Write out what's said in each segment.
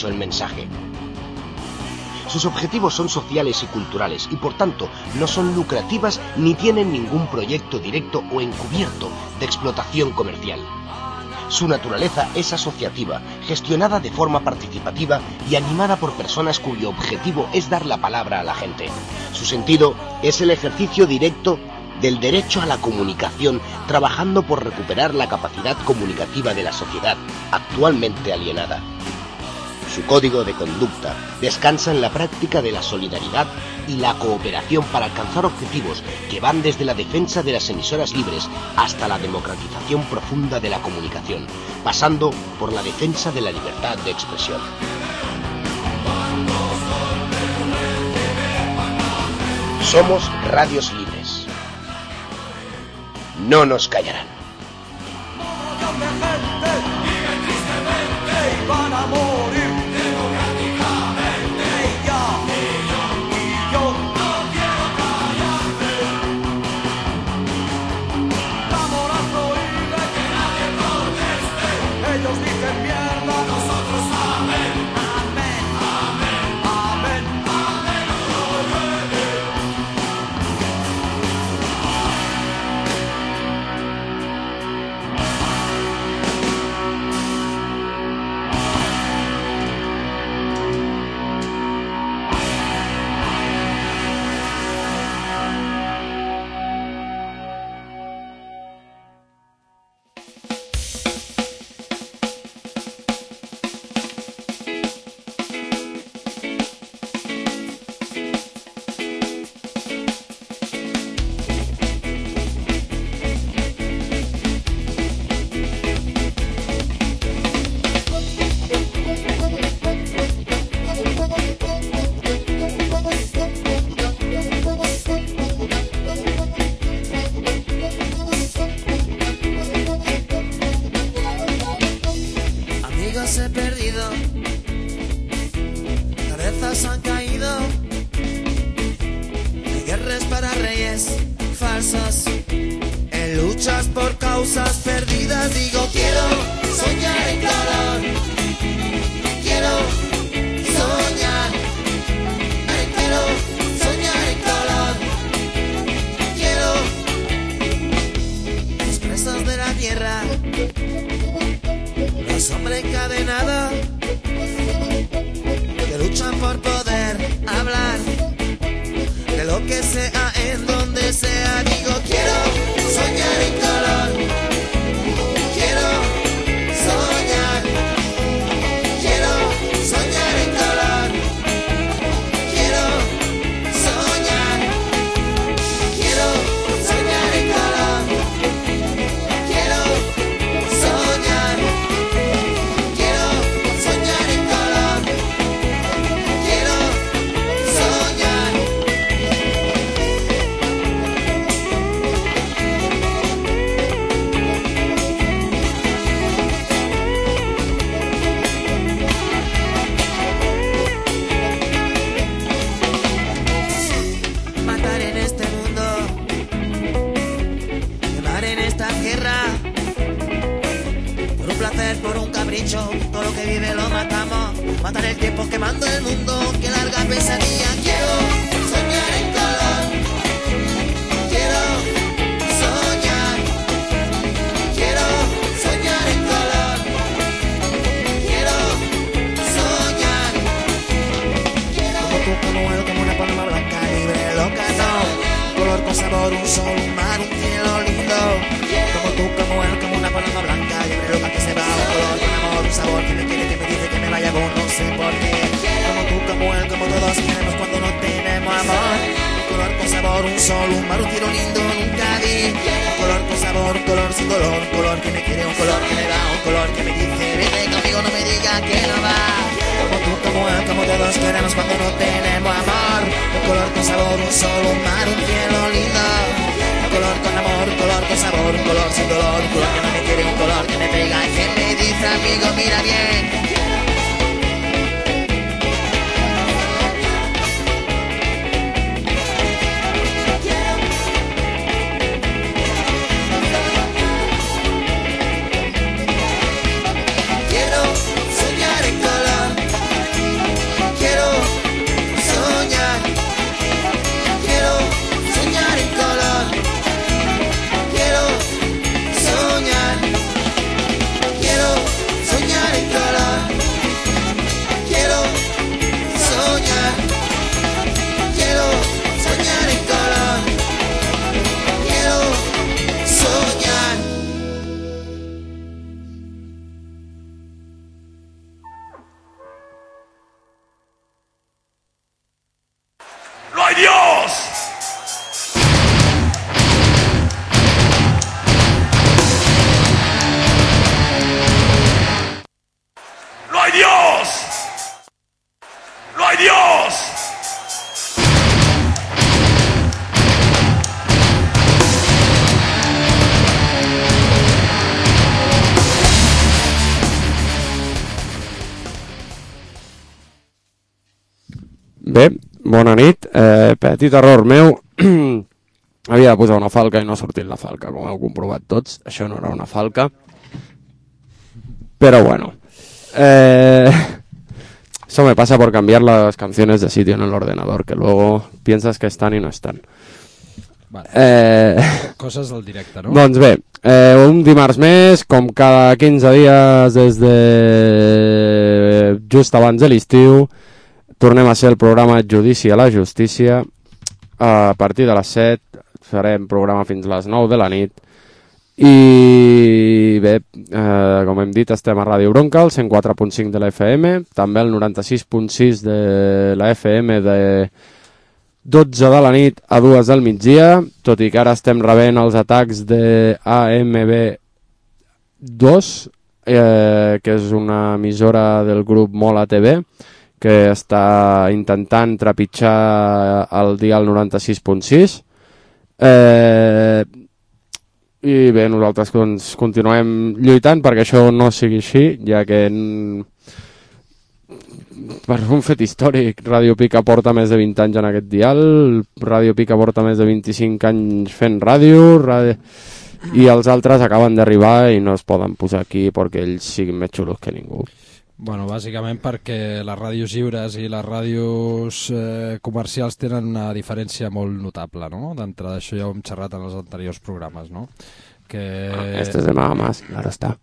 el mensaje. Sus objetivos son sociales y culturales y por tanto no son lucrativas ni tienen ningún proyecto directo o encubierto de explotación comercial. Su naturaleza es asociativa, gestionada de forma participativa y animada por personas cuyo objetivo es dar la palabra a la gente. Su sentido es el ejercicio directo del derecho a la comunicación, trabajando por recuperar la capacidad comunicativa de la sociedad, actualmente alienada. Su código de conducta descansa en la práctica de la solidaridad y la cooperación para alcanzar objetivos que van desde la defensa de las emisoras libres hasta la democratización profunda de la comunicación, pasando por la defensa de la libertad de expresión. Somos radios libres. No nos callarán. ¡No hay Dios! ¡No hay Dios! Bé, bona nit. Petit error meu. Havia de posar una falca i no ha sortit la falca, com heu comprovat tots. Això no era una falca. Pero bueno. Eso me pasa por cambiar las canciones de sitio en el ordenador, que luego piensas que están y no están. Vale. Coses del directe, no? Doncs bé, un dimarts més, com cada 15 dies des de just abans de l'estiu, tornem a ser el programa Judici a la Justícia. A partir de les 7 farem programa fins a les 9 de la nit. I bé, com hem dit, estem a Ràdio Bronca, el 104.5 de la FM, també el 96.6 de la FM de 12 de la nit a 2 del migdia, tot i que ara estem rebent els atacs de AMB2, que és una emissora del grup Mola TV, que està intentant trepitjar el dial 96.6. I bé, nosaltres continuem lluitant perquè això no sigui així, ja que per un fet històric Ràdio Pica porta més de 20 anys en aquest dial, Ràdio Pica porta més de 25 anys fent ràdio, i els altres acaben d'arribar i no es poden posar aquí perquè ells siguin més xulos que ningú. Bueno, bàsicament perquè les ràdios lliures i les ràdios comercials tenen una diferència molt notable, no? D'entrada d'això ja ho hem xerrat en els anteriors programes, no? Este es de nada más, claro está.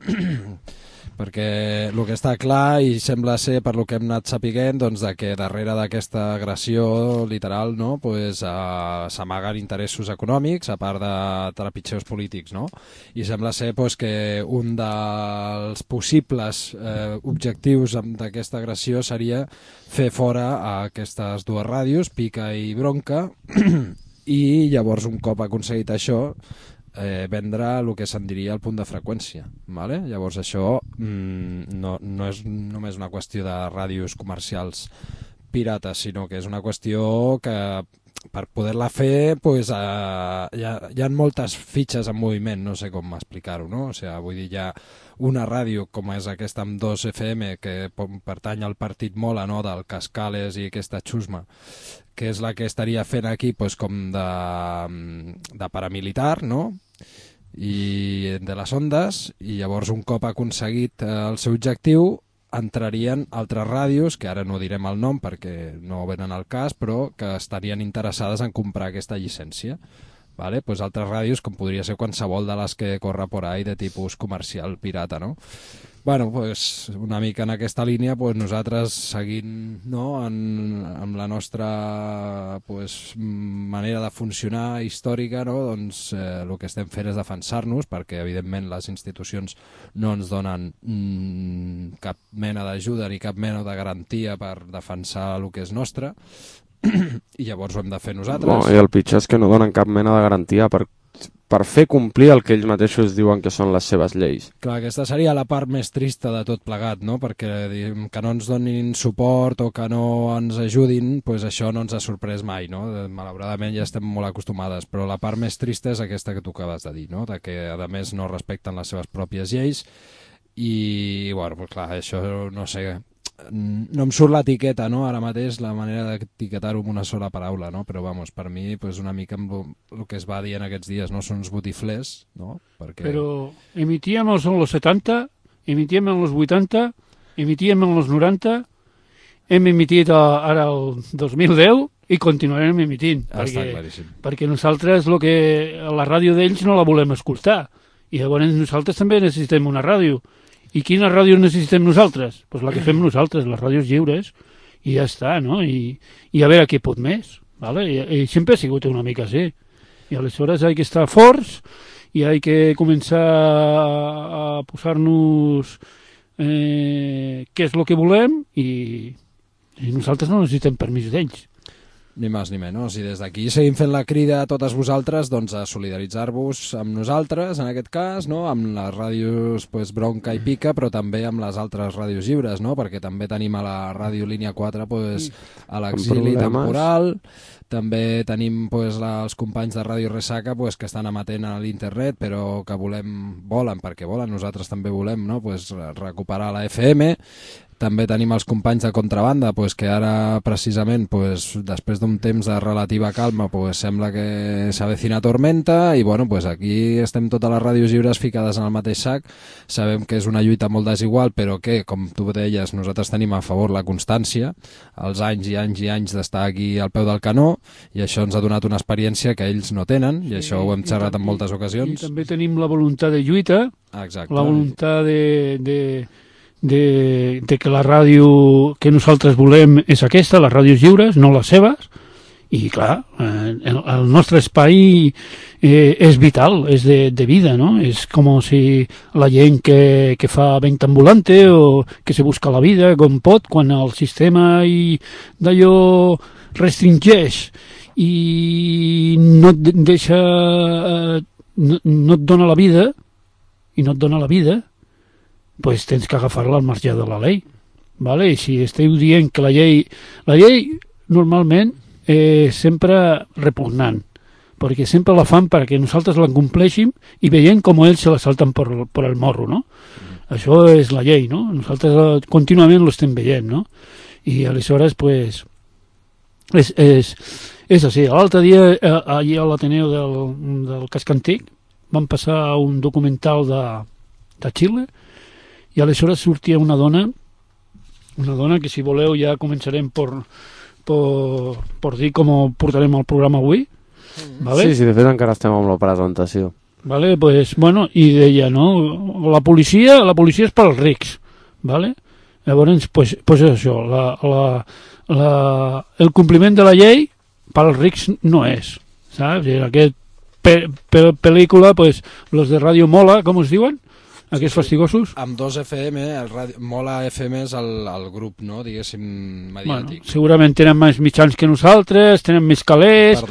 Perquè el que està clar i sembla ser per lo que hem anat sapiguent, doncs, de que darrere d'aquesta agressió literal, no, pues, s'amaguen interessos econòmics a part de trepitgeus polítics, no? I sembla ser pues, que un dels possibles objectius d'aquesta agressió seria fer fora a aquestes dues ràdios, Pica i Bronca, i llavors un cop aconseguit això vendre el que se'n diria el punt de freqüència, ¿vale? Llavors això no és només una qüestió de ràdios comercials pirates, sinó que és una qüestió que per poder-la fer pues, hi ha moltes fitxes en moviment, no sé com explicar-ho, no? O sigui, vull dir, hi ha una ràdio com és aquesta amb 2 FM que pertany al partit Mola, no? Del Cascales i aquesta xusma, que és la que estaria fent aquí pues, com de paramilitar, no? I de les ondes, i llavors un cop aconseguit el seu objectiu entrarien altres ràdios, que ara no direm el nom perquè no venen al cas, però que estarien interessades en comprar aquesta llicència. Vale? Pues altres ràdios, com podria ser qualsevol de les que corre por ahí de tipus comercial pirata, no? Bueno, pues una mica en aquesta línia, pues nosaltres seguint, no, amb la nostra pues, manera de funcionar històrica, no, doncs el que estem fent és defensar-nos, perquè evidentment les institucions no ens donen cap mena d'ajuda ni cap mena de garantia per defensar el que és nostre, i llavors ho hem de fer nosaltres. No, i el pitjor és que no donen cap mena de garantia per fer complir el que ells mateixos diuen que són les seves lleis. Clar, aquesta seria la part més trista de tot plegat, no? Perquè que no ens donin suport o que no ens ajudin, pues això no ens ha sorprès mai, no? Malauradament ja estem molt acostumades, però la part més trista és aquesta que tu acabes de dir, no? De que a més no respecten les seves pròpies lleis i, bueno, pues clar, això no sé... No em surt l'etiqueta, no? Ara mateix la manera d'etiquetar-ho amb una sola paraula, no? Però vamos, per mi pues, una mica amb el que es va dir en aquests dies, no? Són uns botiflers, no? Perquè... Però emitíem en els 70, emitíem en els 80, emitíem en els 90, hem emitit ara el 2010 i continuarem emitint. Està claríssim. Perquè nosaltres la ràdio d'ells no la volem escoltar. I llavors nosaltres també necessitem una ràdio. I quina ràdio necessitem nosaltres? Pues la que fem nosaltres, les ràdios lliures, i ja està, no? I a veure què pot més, ¿vale? I sempre ha sigut una mica així. I aleshores hay que estar forts i hay que començar a posar-nos què és el que volem i nosaltres no necessitem permís d'ells. Ni més ni menys. I des d'aquí seguim fent la crida a totes vosaltres doncs, a solidaritzar-vos amb nosaltres, en aquest cas, no? Amb les ràdios pues, Bronca i Pica, però també amb les altres ràdios lliures, no? Perquè també tenim a la ràdio Línia 4 pues, a l'exili temporal, també tenim pues, els companys de Ràdio Ressaca pues, que estan emetent a l'internet, però que volen, nosaltres també volem no? Pues, recuperar la FM. També tenim els companys de Contrabanda, pues, que ara precisament, pues, després d'un temps de relativa calma, pues, sembla que s'avecina tormenta i bueno, pues, aquí estem totes les ràdios lliures ficades en el mateix sac. Sabem que és una lluita molt desigual, però que, com tu deies, nosaltres tenim a favor la constància, els anys i anys i anys d'estar aquí al peu del canó, i això ens ha donat una experiència que ells no tenen, i això ho hem xerrat en moltes ocasions. I també tenim la voluntat de lluita, exacte, la voluntat de que la ràdio que nosaltres volem és aquesta, les ràdios lliures, no les seves, i clar, el nostre espai és vital, és de vida, no? És com si la gent que fa venta ambulante o que se busca la vida com pot, quan el sistema d'allò restringeix i no et deixa, no et dona la vida, pues tens que agafar-la al marge de la llei. ¿Vale? I si esteu dient que la llei normalment és sempre repugnant, perquè sempre la fan perquè nosaltres la compleixin i veiem com ells se la salten per el morro, no? Això és la llei, no? Nosaltres contínuament lo estem veient, no? I aleshores, pues, és així. L'altre dia, allà a l'Ateneu del Casc Antic, van passar un documental de Xile, i aleshores sortia una dona que, si voleu, ja començarem per dir com portarem el programa avui. ¿Vale? Sí, de fet encara estem amb la presentació. Vale, pues, bueno, i deia, no? La policia és per als rics, ¿vale? Llavors, pues és això, el compliment de la llei per als rics no és, saps? En aquesta pel·lícula, pues, los de Radio Mola, com es diuen? Aquests fastigosos? Amb 2 FM, Mola FM és el grup, no? Diguéssim, mediàtic. Bueno, segurament tenen més mitjans que nosaltres, tenen més calés,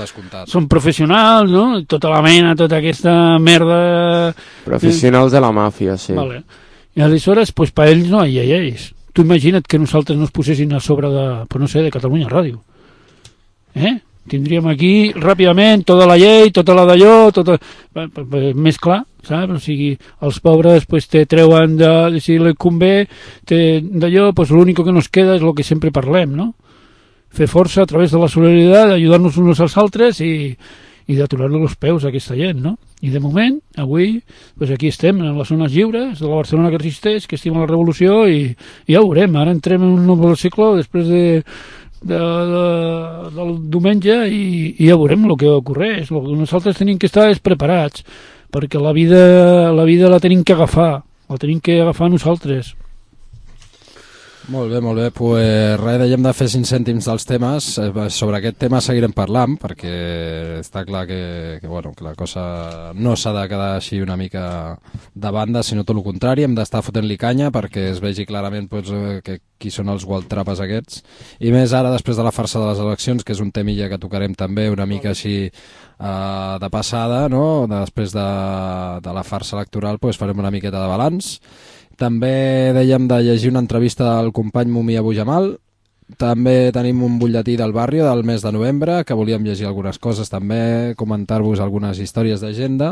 són professionals, no? Tota la mena, tota aquesta merda... Professionals de la màfia, sí. Vale. I aleshores, pues, per ells no hi ha lleis. Tu imagina't que nosaltres no es posessin a sobre de Catalunya Ràdio. Tindríem aquí ràpidament tota la llei, tota la d'allò, més clar, saps? O sigui, els pobres pues, te treuen si li convé d'allò, pues l'únic que nos queda és el que sempre parlem, no? Fer força a través de la solidaritat, ajudar-nos uns als altres i d'aturar-li els peus a aquesta gent, no? I de moment, avui, pues aquí estem, en les zones lliures de la Barcelona que resisteix, que estima la revolució i ja ho veurem. Ara entrem en un nou cicle després del diumenge i ja veurem el que ocorreix. El que nosaltres tenim que estar és preparats, perquè la vida la tenim que agafar, nosaltres. Molt bé, pues res, dèiem de fer 5 cèntims dels temes. Sobre aquest tema seguirem parlant, perquè està clar que la cosa no s'ha de quedar així una mica de banda, sinó tot el contrari, hem d'estar fotent-li canya perquè es vegi clarament pues, qui són els gualtrapes aquests, i més ara després de la farsa de les eleccions, que és un temilla que tocarem també una mica així de passada, no? Després de la farsa electoral pues, farem una miqueta de balanç. També dèiem de llegir una entrevista del company Mumia Bujamal. També tenim un butlletí del barri del mes de novembre, que volíem llegir algunes coses també, comentar-vos algunes històries d'agenda,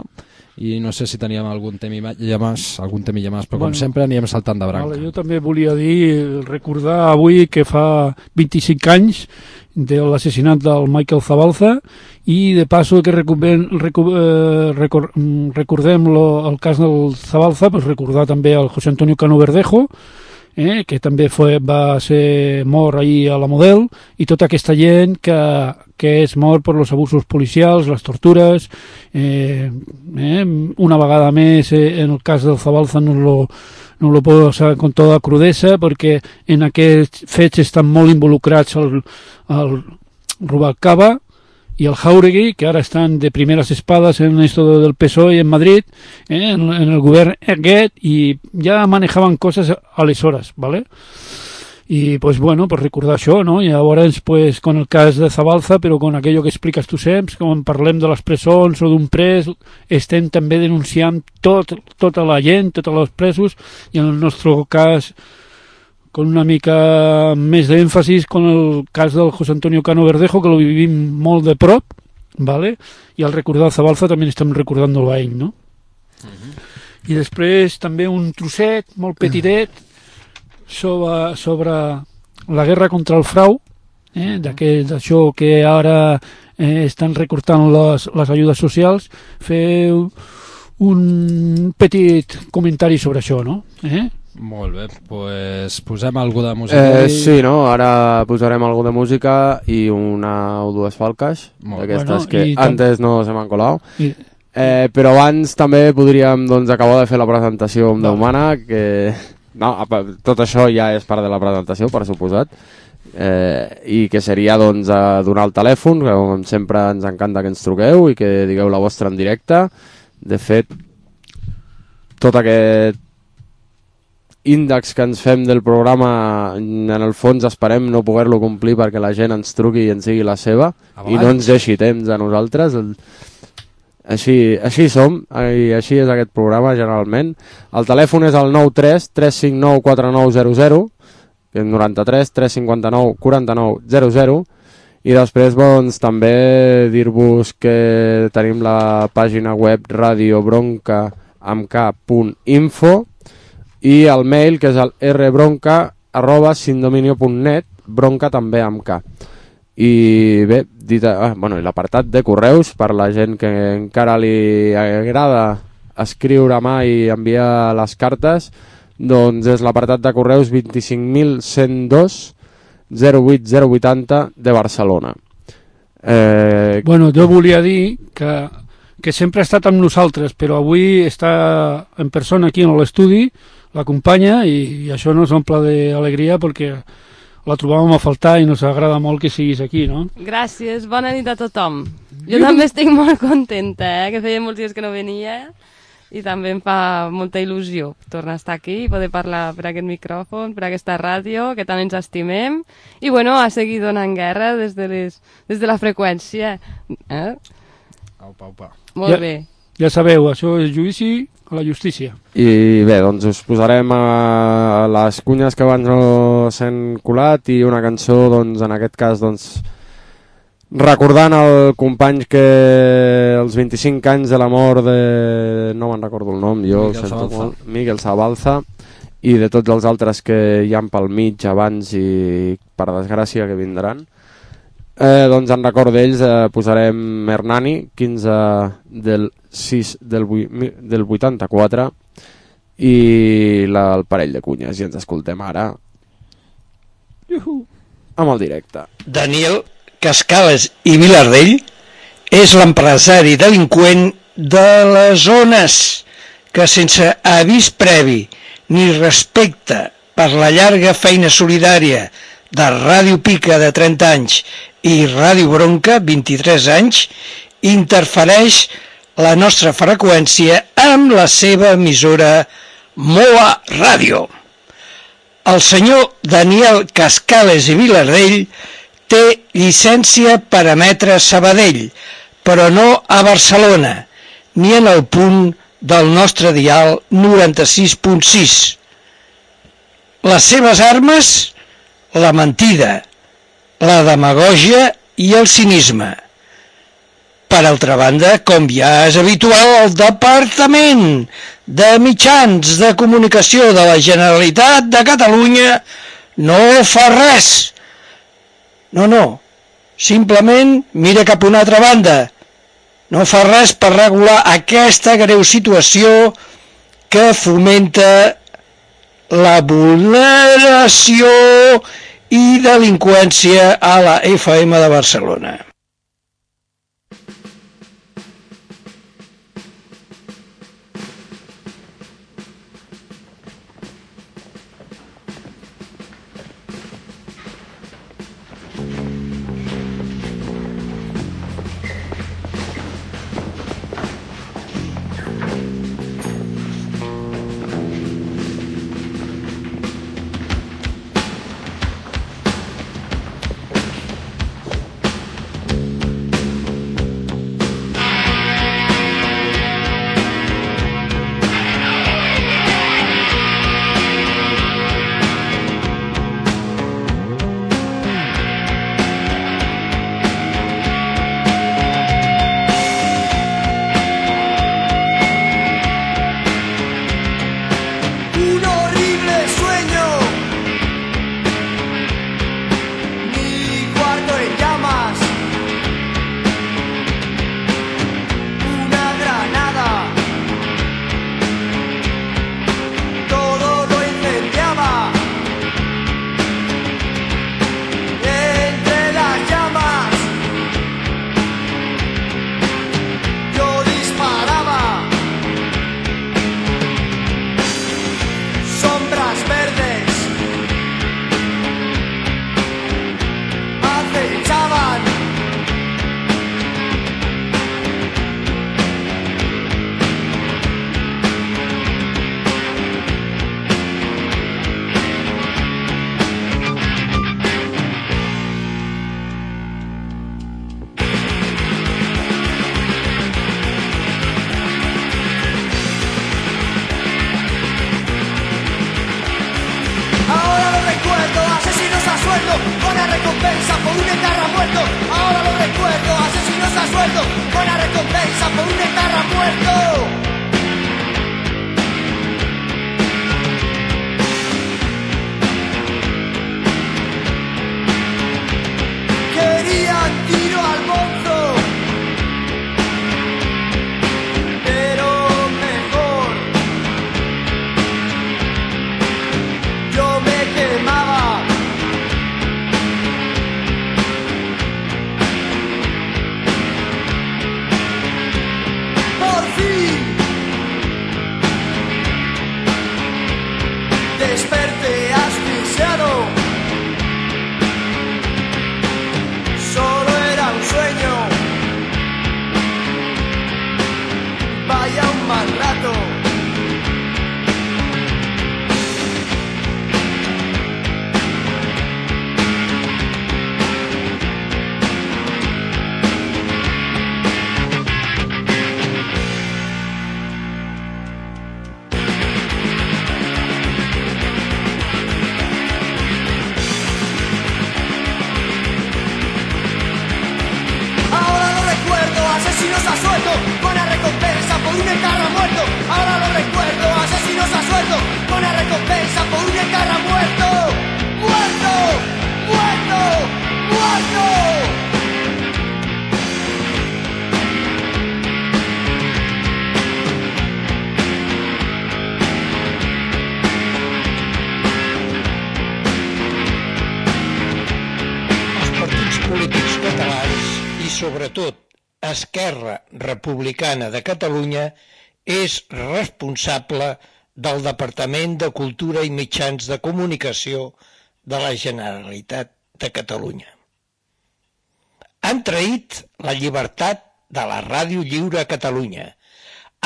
i no sé si teníem algun temilla més, però com sempre anirem saltant de branca. Jo també volia recordar avui que fa 25 anys de l'assassinat del Michael Zabalza, i de passo que recordem el cas del Zabalza, pues recordar també el José Antonio Cano Verdejo, que també va ser mort ahir a la Model, i tota aquesta gent que és mort per els abusos policials, les tortures. Una vegada més, en el cas del Zabalza no lo puedo posar con toda crudesa, perquè en aquests fets estan molt involucrats el Rubalcaba y el Jauregui, que ara estan de primeres espades en esto del PSOE en Madrid, en el govern aquest, i ja manejaven coses aleshores, ¿vale? Y pues bueno, pues recordar això, no? I llavors, pues, con el cas de Zabalza, però con aquello que expliques tu sempre, quan parlem de les presons o d'un pres, estem també denunciant tota la gent, tots els presos, i en el nostre cas, con una mica més d'èmfasis, con el cas del José Antonio Cano Verdejo, que lo vivim molt de prop, ¿vale? I al recordar Zabalza també estem recordant-lo a ell, no? I després també un trosset molt petitet sobre la guerra contra el frau, d'això que ara estan recortant les ajudes socials, fer un petit comentari sobre això, no? Molt bé, pues posem alguna de música. Sí, no? Ara posarem alguna de música i una o dues falques d'aquestes que antes no se m'han colat. Però abans també podríem acabar de fer la presentació amb Déu Mana, que no, tot això ja és part de la presentació, per suposat, i que seria donar el telèfon, que com sempre ens encanta que ens truqueu i que digueu la vostra en directe. De fet, tot aquest índex que ens fem del programa, en el fons esperem no poder-lo complir perquè la gent ens truqui i ens digui la seva i no ens deixi temps a nosaltres. Així som, i així és aquest programa generalment. El telèfon és el 93 359 4900, que és 93 359 4900, i després també dir-vos que tenim la pàgina web radiobronca.info i el mail, que és el rbronca@sindominio.net, bronca també amb K. I bé, l'apartat de correus, per la gent que encara li agrada escriure a mà i enviar les cartes, doncs és l'apartat de correus 25.102 08080 de Barcelona. Jo volia dir que sempre ha estat amb nosaltres, però avui està en persona aquí en l'estudi, l'acompanya, i això nos omple d'alegria perquè la trobàvem a faltar i nos agrada molt que siguis aquí, no? Gràcies, bona nit a tothom. Jo també estic molt contenta, que feia molts dies que no venia i també em fa molta il·lusió tornar a estar aquí i poder parlar per aquest micròfon, per aquesta ràdio, que tant ens estimem, i a seguir donant guerra des de la freqüència. Aupa. Molt bé. Ja sabeu, això és judici a la justícia. I bé, doncs us posarem a les cunyes que abans no s'han colat i una cançó, en aquest cas, recordant el company que els 25 anys de la mort de... no me'n recordo el nom, Miguel Zabalza, i de tots els altres que hi han pel mig abans i per desgràcia que vindran. En record d'ells posarem Hernani, 15 del 6 del 84, i el parell de cunyes, i ens escoltem ara amb el directe. Daniel Cascales i Vilardell és l'empresari delinqüent de les zones que, sense avís previ ni respecte per la llarga feina solidària de Ràdio Pica de 30 anys i Ràdio Bronca, 23 anys, interfereix la nostra freqüència amb la seva emissora Moa Ràdio. El senyor Daniel Cascales i Vilardell té llicència per emetre a Sabadell, però no a Barcelona, ni en el punt del nostre dial 96.6. Les seves armes, la mentida, la demagògia i el cinisme. Per altra banda, com ja és habitual, el Departament de Mitjans de Comunicació de la Generalitat de Catalunya no fa res. No, simplement mira cap a una altra banda. No fa res per regular aquesta greu situació que fomenta la vulneració i delinqüència a la FM de Barcelona. recompensa por un etarra muerto. Ahora lo recuerdo, asesinos a sueldo. Buena recompensa por un etarra muerto. Querían tiro al monstruo, pero mejor. Yo me quemaba. Por fin desperté asfixiado. Solo era un sueño. Vaya un mal rato. Asesinos a sueldo, buena recompensa por un etarra muerto. Ahora lo recuerdo, asesinos a sueldo, buena recompensa por un etarra muerto. ¡Muerto! ¡Muerto! ¡Muerto! Els partits polítics catalans i, sobretot, Esquerra Republicana de Catalunya és responsable del Departament de Cultura i Mitjans de Comunicació de la Generalitat de Catalunya. Han traït la llibertat de la Ràdio Lliure a Catalunya.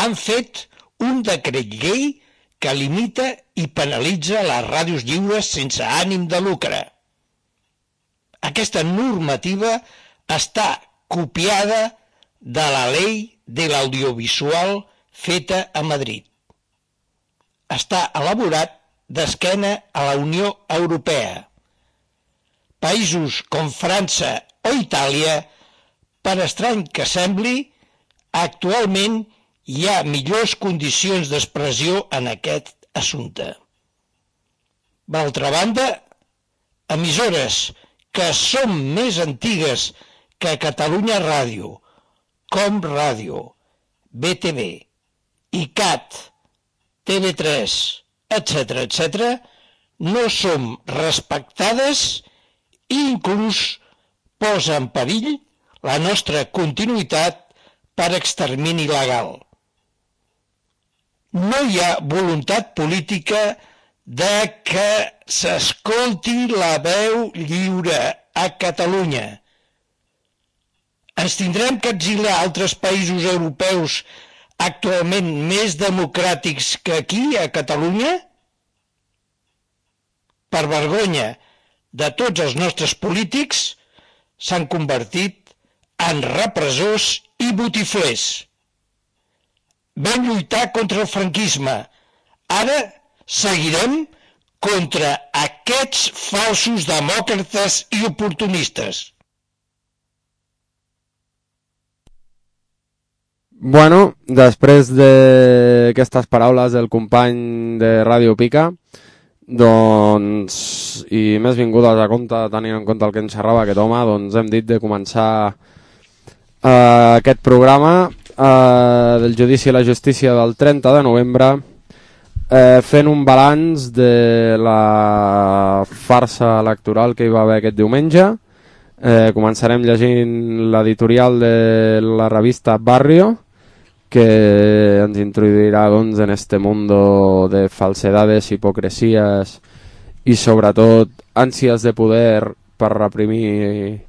Han fet un decret llei que limita i penalitza les ràdios lliures sense ànim de lucre. Aquesta normativa està copiada de la Ley de l'Audiovisual feta a Madrid. Està elaborat d'esquena a la Unió Europea. Països com França o Itàlia, per estrany que sembli, actualment hi ha millors condicions d'expressió en aquest assumpte. D'altra banda, emissores que són més antigues que Catalunya Ràdio, Com Ràdio, BTV, ICAT, TV3, etc., no som respectades i inclús posa en perill la nostra continuïtat per extermini legal. No hi ha voluntat política de que s'escolti la veu lliure a Catalunya. Ens tindrem que exiliar a altres països europeus actualment més democràtics que aquí, a Catalunya? Per vergonya de tots els nostres polítics, s'han convertit en repressors i botiflers. Vam lluitar contra el franquisme. Ara seguirem contra aquests falsos demòcrates i oportunistes. Bueno, després d'aquestes paraules del company de Ràdio Pica, doncs, i més vingudes a compte, tenint en compte el que ens xerrava aquest home, doncs hem dit de començar aquest programa del Judici i la Justícia del 30 de novembre, fent un balanç de la farsa electoral que hi va haver aquest diumenge. Començarem llegint l'editorial de la revista Barrio, que ens introduirà doncs, en este mundo de falsedades, hipocresías i sobretot ànsies de poder per reprimir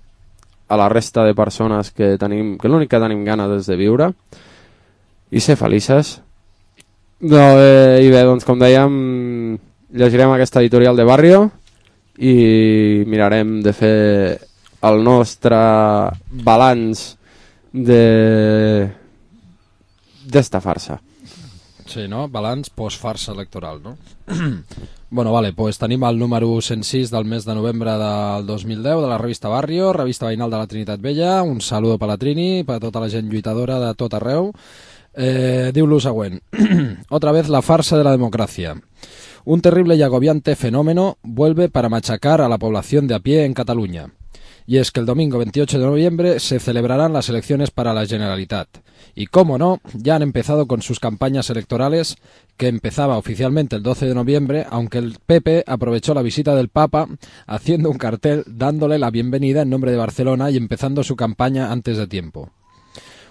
a la resta de persones que l'únic que tenim ganes és de viure i ser felices. I bé, doncs com dèiem, llegirem aquesta editorial de Barrio i mirarem de fer el nostre balanç d'esta farsa. Sí, no? Balanç post-farsa electoral, no? Bueno, vale, pues tenim el número 106 del mes de novembre del 2010 de la revista Barrio, revista veïnal de la Trinitat Vella. Un saludo per la Trini, per tota la gent lluitadora de tot arreu. Diu lo següent. Otra vez la farsa de la democracia. Un terrible y agobiante fenómeno vuelve para machacar a la población de a pie en Cataluña. Y es que el domingo 28 de noviembre se celebrarán las elecciones para la Generalitat. Y cómo no, ya han empezado con sus campañas electorales, que empezaba oficialmente el 12 de noviembre, aunque el PP aprovechó la visita del Papa haciendo un cartel dándole la bienvenida en nombre de Barcelona y empezando su campaña antes de tiempo.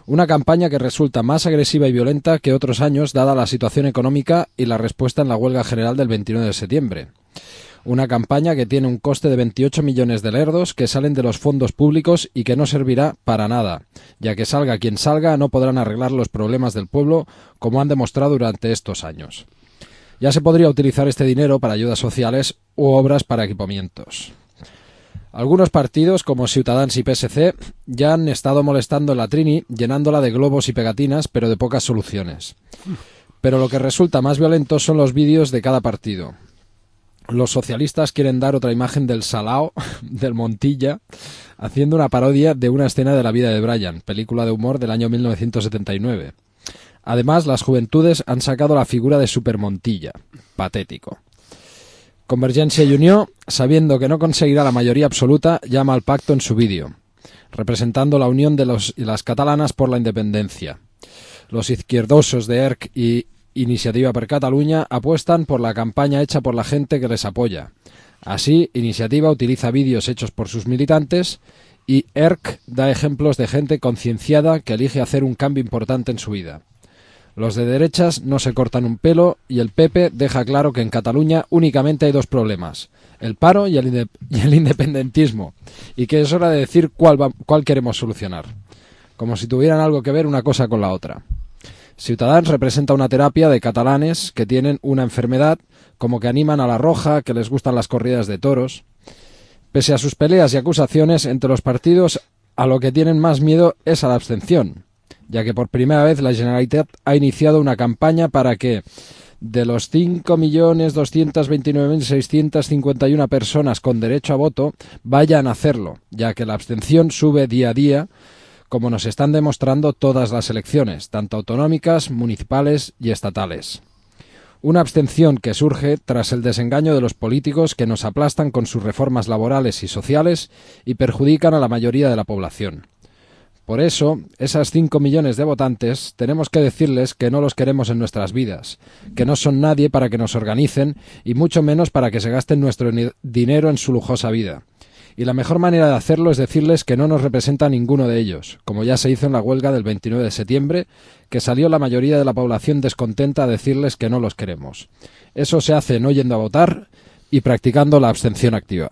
Una campaña que resulta más agresiva y violenta que otros años dada la situación económica y la respuesta en la huelga general del 29 de septiembre. Una campaña que tiene un coste de 28 millones de lerdos que salen de los fondos públicos y que no servirá para nada, ya que salga quien salga no podrán arreglar los problemas del pueblo como han demostrado durante estos años. Ya se podría utilizar este dinero para ayudas sociales u obras para equipamientos. Algunos partidos, como Ciutadans y PSC, ya han estado molestando en la Trini, llenándola de globos y pegatinas, pero de pocas soluciones. Pero lo que resulta más violento son los vídeos de cada partido. Los socialistas quieren dar otra imagen del Salao, del Montilla, haciendo una parodia de una escena de la vida de Brian, película de humor del año 1979. Además, las juventudes han sacado la figura de Super Montilla. Patético. Convergencia y Unió, sabiendo que no conseguirá la mayoría absoluta, llama al pacto en su vídeo, representando la unión de las catalanas por la independencia. Los izquierdosos de ERC y Iniciativa per Catalunya apuestan por la campaña hecha por la gente que les apoya. Así, Iniciativa utiliza vídeos hechos por sus militantes y ERC da ejemplos de gente concienciada que elige hacer un cambio importante en su vida. Los de derechas no se cortan un pelo y el PP deja claro que en Cataluña únicamente hay dos problemas, el paro y el independentismo, y que es hora de decir cuál queremos solucionar, como si tuvieran algo que ver una cosa con la otra. Ciutadans representa una terapia de catalanes que tienen una enfermedad, como que animan a la roja, que les gustan las corridas de toros. Pese a sus peleas y acusaciones entre los partidos, a lo que tienen más miedo es a la abstención, ya que por primera vez la Generalitat ha iniciado una campaña para que, de los 5.229.651 personas con derecho a voto, vayan a hacerlo, ya que la abstención sube día a día, como nos están demostrando todas las elecciones, tanto autonómicas, municipales y estatales. Una abstención que surge tras el desengaño de los políticos que nos aplastan con sus reformas laborales y sociales y perjudican a la mayoría de la población. Por eso, esas 5 millones de votantes tenemos que decirles que no los queremos en nuestras vidas, que no son nadie para que nos organicen y mucho menos para que se gasten nuestro dinero en su lujosa vida. Y la mejor manera de hacerlo es decirles que no nos representa ninguno de ellos, como ya se hizo en la huelga del 29 de septiembre, que salió la mayoría de la población descontenta a decirles que no los queremos. Eso se hace no yendo a votar y practicando la abstención activa.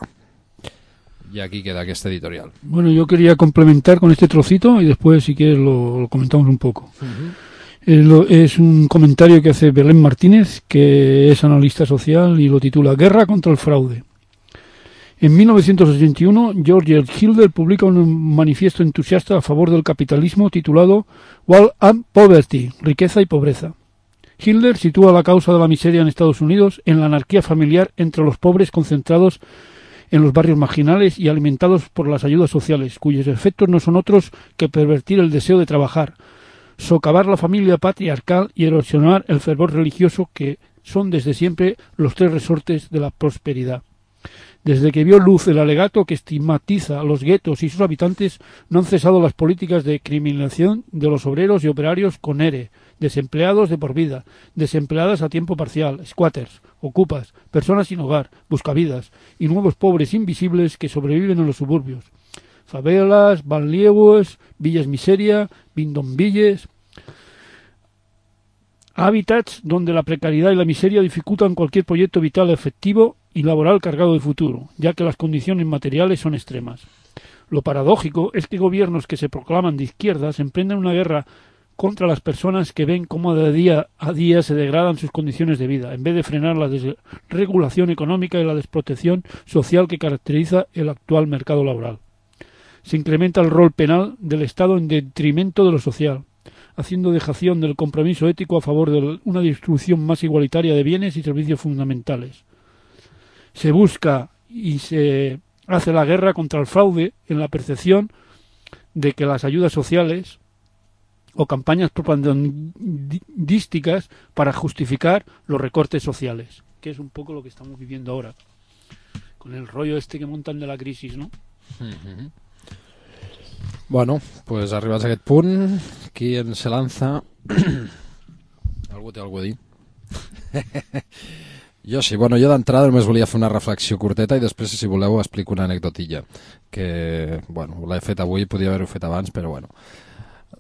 Y aquí queda este editorial. Bueno, yo quería complementar con este trocito y después, si quieres, lo comentamos un poco. Es un comentario que hace Belén Martínez, que es analista social, y lo titula Guerra contra el fraude. En 1981, George Hilder publica un manifiesto entusiasta a favor del capitalismo titulado War and Poverty, riqueza y pobreza. Hilder sitúa la causa de la miseria en Estados Unidos en la anarquía familiar entre los pobres concentrados en los barrios marginales y alimentados por las ayudas sociales, cuyos efectos no son otros que pervertir el deseo de trabajar, socavar la familia patriarcal y erosionar el fervor religioso que son desde siempre los tres resortes de la prosperidad. Desde que vio luz el alegato que estigmatiza a los guetos y sus habitantes, no han cesado las políticas de criminalización de los obreros y operarios con ERE, desempleados de por vida, desempleadas a tiempo parcial, squatters, ocupas, personas sin hogar, buscavidas y nuevos pobres invisibles que sobreviven en los suburbios. Favelas, banlieues, villas miseria, bidonvilles, hábitats donde la precariedad y la miseria dificultan cualquier proyecto vital efectivo y laboral cargado de futuro, ya que las condiciones materiales son extremas. Lo paradójico es que gobiernos que se proclaman de izquierdas emprenden una guerra contra las personas que ven cómo de día a día se degradan sus condiciones de vida, en vez de frenar la desregulación económica y la desprotección social que caracteriza el actual mercado laboral. Se incrementa el rol penal del Estado en detrimento de lo social. haciendo dejación del compromiso ético a favor de una distribución más igualitaria de bienes y servicios fundamentales. Se busca y se hace la guerra contra el fraude en la percepción de que las ayudas sociales o campañas propagandísticas para justificar los recortes sociales, que es un poco lo que estamos viviendo ahora, con el rollo este que montan de la crisis, ¿no? Bueno, pues arribats a aquest punt, qui ens se lanza? Algú té alguna cosa a dir? Jo sí, bueno, jo d'entrada només volia fer una reflexió curteta i després, si voleu, explico una anecdotilla, que, bueno, l'he fet avui, podia haver-ho fet abans, però bueno.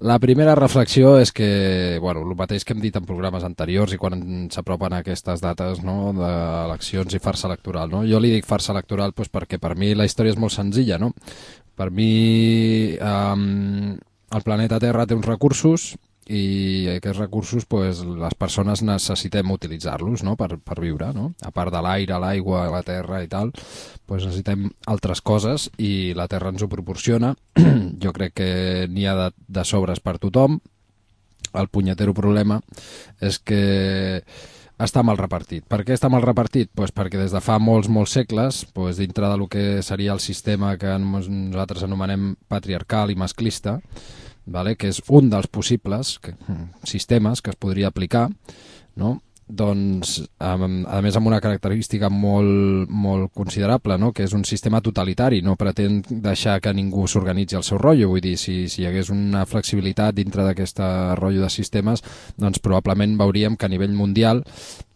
La primera reflexió és que, bueno, el mateix que hem dit en programes anteriors i quan s'apropen aquestes dates, no, d'eleccions i farsa electoral, no? Jo li dic farsa electoral doncs, perquè per mi la història és molt senzilla, no? Per mi el planeta Terra té uns recursos i aquests recursos pues, les persones necessitem utilitzar-los, no? per viure, no? A part de l'aire, l'aigua, la terra i tal, pues necessitem altres coses i la terra ens ho proporciona. Jo crec que n'hi ha de sobres per tothom. El punyetero problema és que està mal repartit. Per què està mal repartit? Pues perquè des de fa molts segles, pues, dintre del que seria el sistema que nosaltres anomenem patriarcal i masclista, vale? Que és un dels possibles sistemes que es podria aplicar, no? Doncs, a més amb una característica molt considerable, no? Que és un sistema totalitari, no pretén deixar que ningú s'organitzi el seu rotllo, vull dir, si hi hagués una flexibilitat dintre d'aquest rotllo de sistemes, doncs probablement veuríem que a nivell mundial,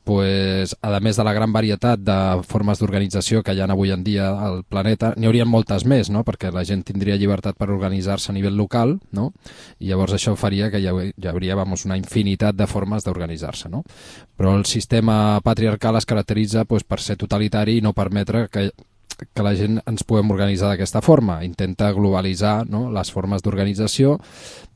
pues, a més de la gran varietat de formes d'organització que hi ha avui en dia al planeta, n'hi haurien moltes més, no? Perquè la gent tindria llibertat per organitzar-se a nivell local, no? I llavors això faria que hi hauria una infinitat de formes d'organitzar-se, no? Però el sistema patriarcal es caracteritza pues, per ser totalitari i no permetre que la gent ens puguem organitzar d'aquesta forma. Intenta globalitzar, no? Les formes d'organització,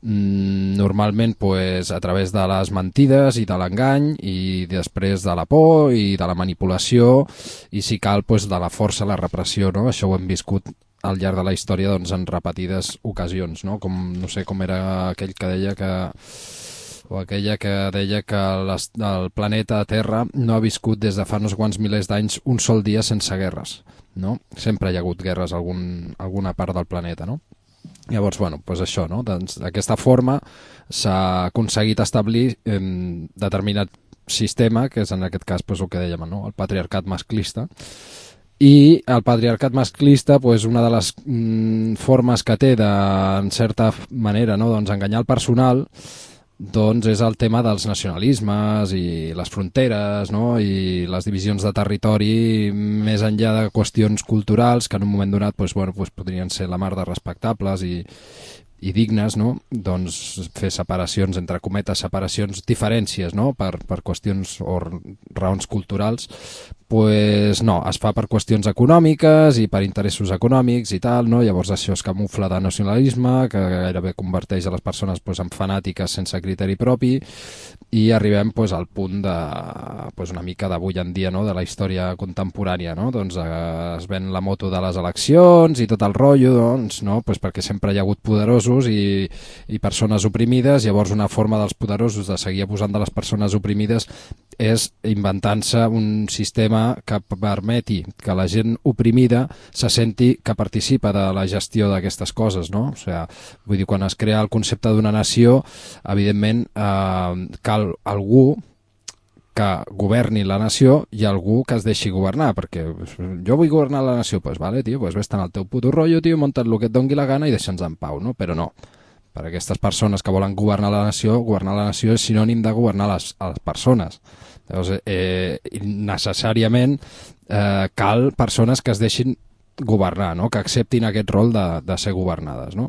normalment pues, a través de les mentides i de l'engany i després de la por i de la manipulació i si cal pues, de la força, la repressió, no? Això ho hem viscut al llarg de la història doncs, en repetides ocasions, no? Com, no sé com era aquell que deia que o aquella que deia que el planeta Terra no ha viscut des de fa uns quants milers d'anys un sol dia sense guerres, no? Sempre hi ha hagut guerres a alguna part del planeta, no? Llavors, bueno, doncs això, no? Doncs, d'aquesta forma s'ha aconseguit establir determinat sistema, que és en aquest cas doncs, el que dèiem, no? El patriarcat masclista. I el patriarcat masclista, doncs, una de les formes que té de, en certa manera, no? Doncs, enganyar el personal, doncs és el tema dels nacionalismes i les fronteres, no? I les divisions de territori més enllà de qüestions culturals que en un moment donat doncs, bueno, doncs podrien ser la mar de respectables i dignes, no? Doncs fer separacions, entre cometes, separacions, diferències, no? Per qüestions o raons culturals, pues no, es fa per qüestions econòmiques i per interessos econòmics i tal, no? Llavors això es camufla de nacionalisme, que gairebé converteix a les persones pues, en fanàtiques sense criteri propi i arribem pues, al punt de pues, una mica d'avui en dia, no? De la història contemporània, no? Doncs es ven la moto de les eleccions i tot el rotllo, doncs, no? Pues perquè sempre hi ha hagut poderosos i persones oprimides, llavors una forma dels poderosos de seguir abusant de les persones oprimides és inventant-se un sistema que permeti que la gent oprimida se senti que participa de la gestió d'aquestes coses, no? O sigui, vull dir, quan es crea el concepte d'una nació, evidentment cal algú que governi la nació i algú que es deixi governar, perquè jo vull governar la nació, doncs vale, tio, pues vés-te'n al teu puto rotllo, tio, munta't el que et doni la gana i deixa'ns en pau, no? Però no, per aquestes persones que volen governar la nació és sinònim de governar les persones. Llavors, necessàriament cal persones que es deixin governar, no? Que acceptin aquest rol de ser governades, no?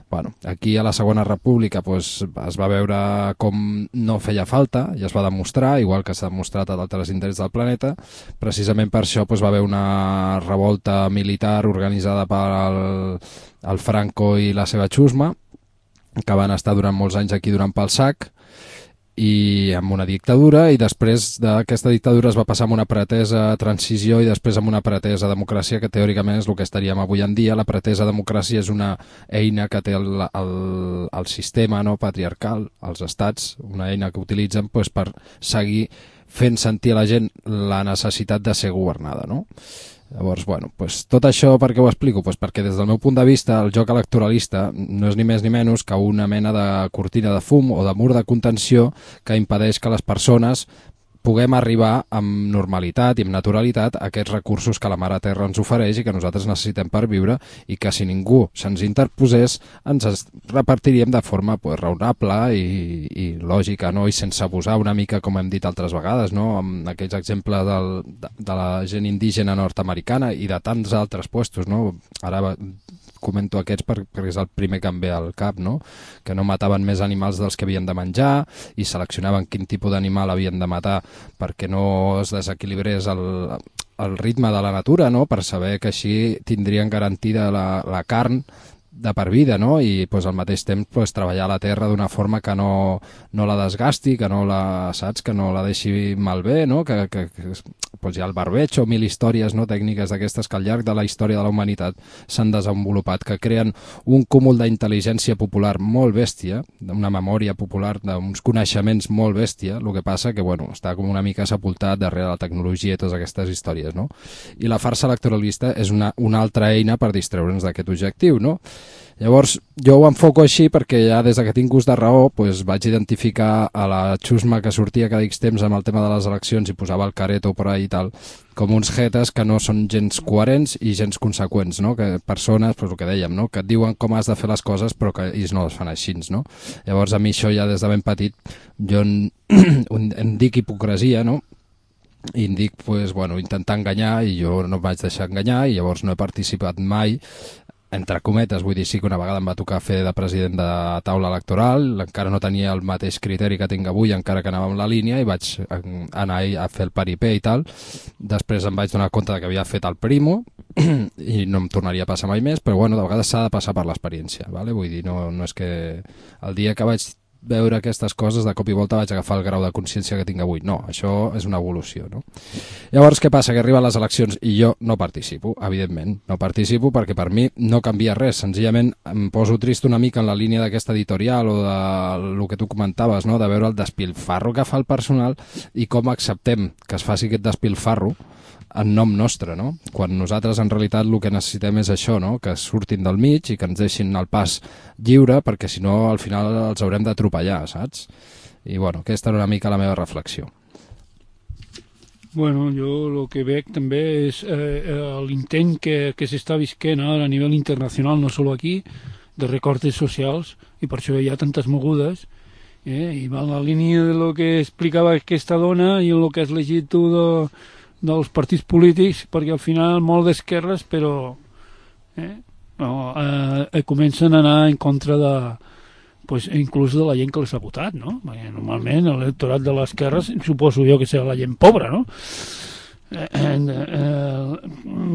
Bueno, aquí a la Segona República pues, es va veure com no feia falta i es va demostrar, igual que s'ha demostrat a d'altres indrets del planeta. Precisament per això pues, va haver una revolta militar organitzada per el Franco i la seva xusma, que van estar durant molts anys aquí durant pel sac, i amb una dictadura, i després d'aquesta dictadura es va passar amb una pretesa transició i després amb una pretesa democràcia, que teòricament és el que estaríem avui en dia. La pretesa democràcia és una eina que té el sistema, no, patriarcal, els estats, una eina que utilitzen pues, per seguir fent sentir a la gent la necessitat de ser governada, no? Llavors, bueno, pues, tot això per què ho explico? Pues perquè des del meu punt de vista el joc electoralista no és ni més ni menys que una mena de cortina de fum o de mur de contenció que impedeix que les persones puguem arribar amb normalitat i amb naturalitat a aquests recursos que la Mare Terra ens ofereix i que nosaltres necessitem per viure, i que si ningú se'ns interposés ens repartiríem de forma pues, raonable i lògica, no? I sense abusar una mica, com hem dit altres vegades, no? Amb aquells exemples de la gent indígena nord-americana i de tants altres puestos, no? Ara comento aquests perquè és el primer que em ve al cap, no? Que no mataven més animals dels que havien de menjar i seleccionaven quin tipus d'animal havien de matar perquè no es desequilibrés el ritme de la natura, no? Per saber que així tindrien garantida la carn de per vida, no? I pues, al mateix temps pues, treballar la terra d'una forma que no la desgasti, que no la, saps, que no la deixi malbé, no? Que pues, hi ha el barbeig o mil històries, no? Tècniques d'aquestes que al llarg de la història de la humanitat s'han desenvolupat, que creen un cúmul d'intel·ligència popular molt bèstia, una memòria popular d'uns coneixements molt bèstia. El que passa que bueno, està com una mica sepultat darrere la tecnologia i totes aquestes històries, no? I la farsa electoralista és una altra eina per distreure'ns d'aquest objectiu, no? Llavors, jo ho enfoco així perquè ja des que tinc gust de raó pues, vaig identificar a la xusma que sortia cada X temps amb el tema de les eleccions i posava el careto per ahí i tal, com uns jetes que no són gens coherents i gens conseqüents, no? Que persones, pues, el que dèiem, no? Que et diuen com has de fer les coses però que ells no les fan així, no? Llavors a mi això ja des de ben petit jo en dic hipocresia, no? I em dic, pues, bueno, intentar enganyar, i jo no em vaig deixar enganyar i llavors no he participat mai, entre cometes, vull dir, sí que una vegada em va tocar fer de president de taula electoral, encara no tenia el mateix criteri que tinc avui, encara que anava en la línia, i vaig anar a fer el paripé i tal. Després em vaig donar compte que havia fet el primo i no em tornaria a passar mai més, però bueno, de vegades s'ha de passar per l'experiència, ¿vale? Vull dir, no és que el dia que vaig veure aquestes coses de cop i volta vaig agafar el grau de consciència que tinc avui. No, això és una evolució, no? Llavors, què passa? Que arriben les eleccions i jo no participo, evidentment. No participo perquè per mi no canvia res. Senzillament em poso trist una mica en la línia d'aquesta editorial o del que tu comentaves, no? De veure el despilfarro que fa el personal i com acceptem que es faci aquest despilfarro en nom nostre, no? Quan nosaltres en realitat el que necessitem és això, no? Que surtin del mig i que ens deixin el pas lliure, perquè si no al final els haurem d'atropellar, saps? I bueno, aquesta era una mica la meva reflexió. Bueno, jo el que veig també és l'intent que s'està visquent ara a nivell internacional, no solo aquí, de recortes socials, i per això hi ha tantes mogudes, i va en la línia de lo que explicava aquesta dona i en el que has llegit tu dels partits polítics, perquè al final molt d'esquerres, però comencen a anar en contra de, pues, inclús de la gent que les ha votat, no? Perquè normalment l'electorat de l'esquerra suposo jo que serà la gent pobra, no?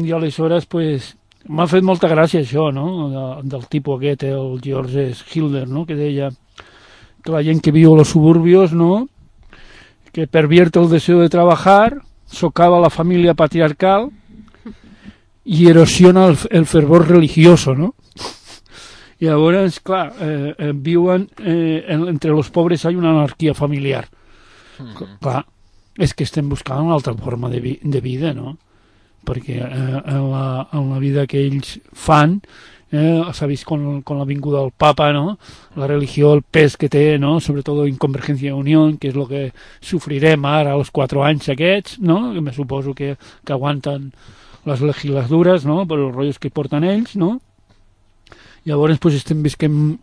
I aleshores, pues, m'ha fet molta gràcia això, no? Del tipus aquest, el George Schiller, no? Que deia que la gent que viu a los suburbios, no? Que pervierte el deseo de trabajar, socava la família patriarcal i erosiona el fervor religioso, no? I llavors, clar, viuen entre los pobres hay una anarquia familiar. Clar, és que estem buscant una altra forma de vida, no? Perquè en la vida que ells fan, s'ha vist con la vinguda del Papa, ¿no? La religió, el pes que té, ¿no? Sobretot en Convergència i Unió, que és el que sofrirem ara als 4 anys aquests, no? Que me suposo que aguanten les legislatures, no? Per els rotllos que porten ells, no? Llavors, pues, estem visquent...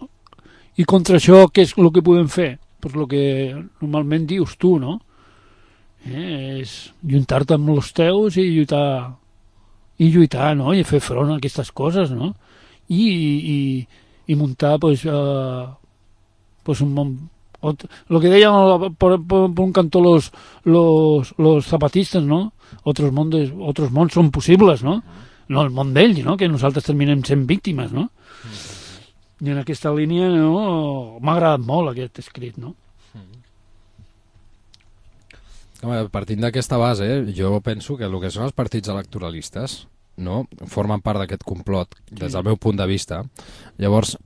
I contra això, què és el que podem fer? Pues el que normalment dius tu, no? És juntar-te amb els teus i lluitar, no? I fer front a aquestes coses, no? I muntar pues un món, lo que deien por un cantó los zapatistas, no? Otros mons són possibles, no? No el món d'ells, no? Que nosaltres terminem sent víctimes, no? I en aquesta línia, no? M'ha agradat molt aquest escrit, no? Home, partint d'aquesta base, jo penso que el que són els partits electoralistes, no, formen part d'aquest complot, des del meu punt de vista. Llavors,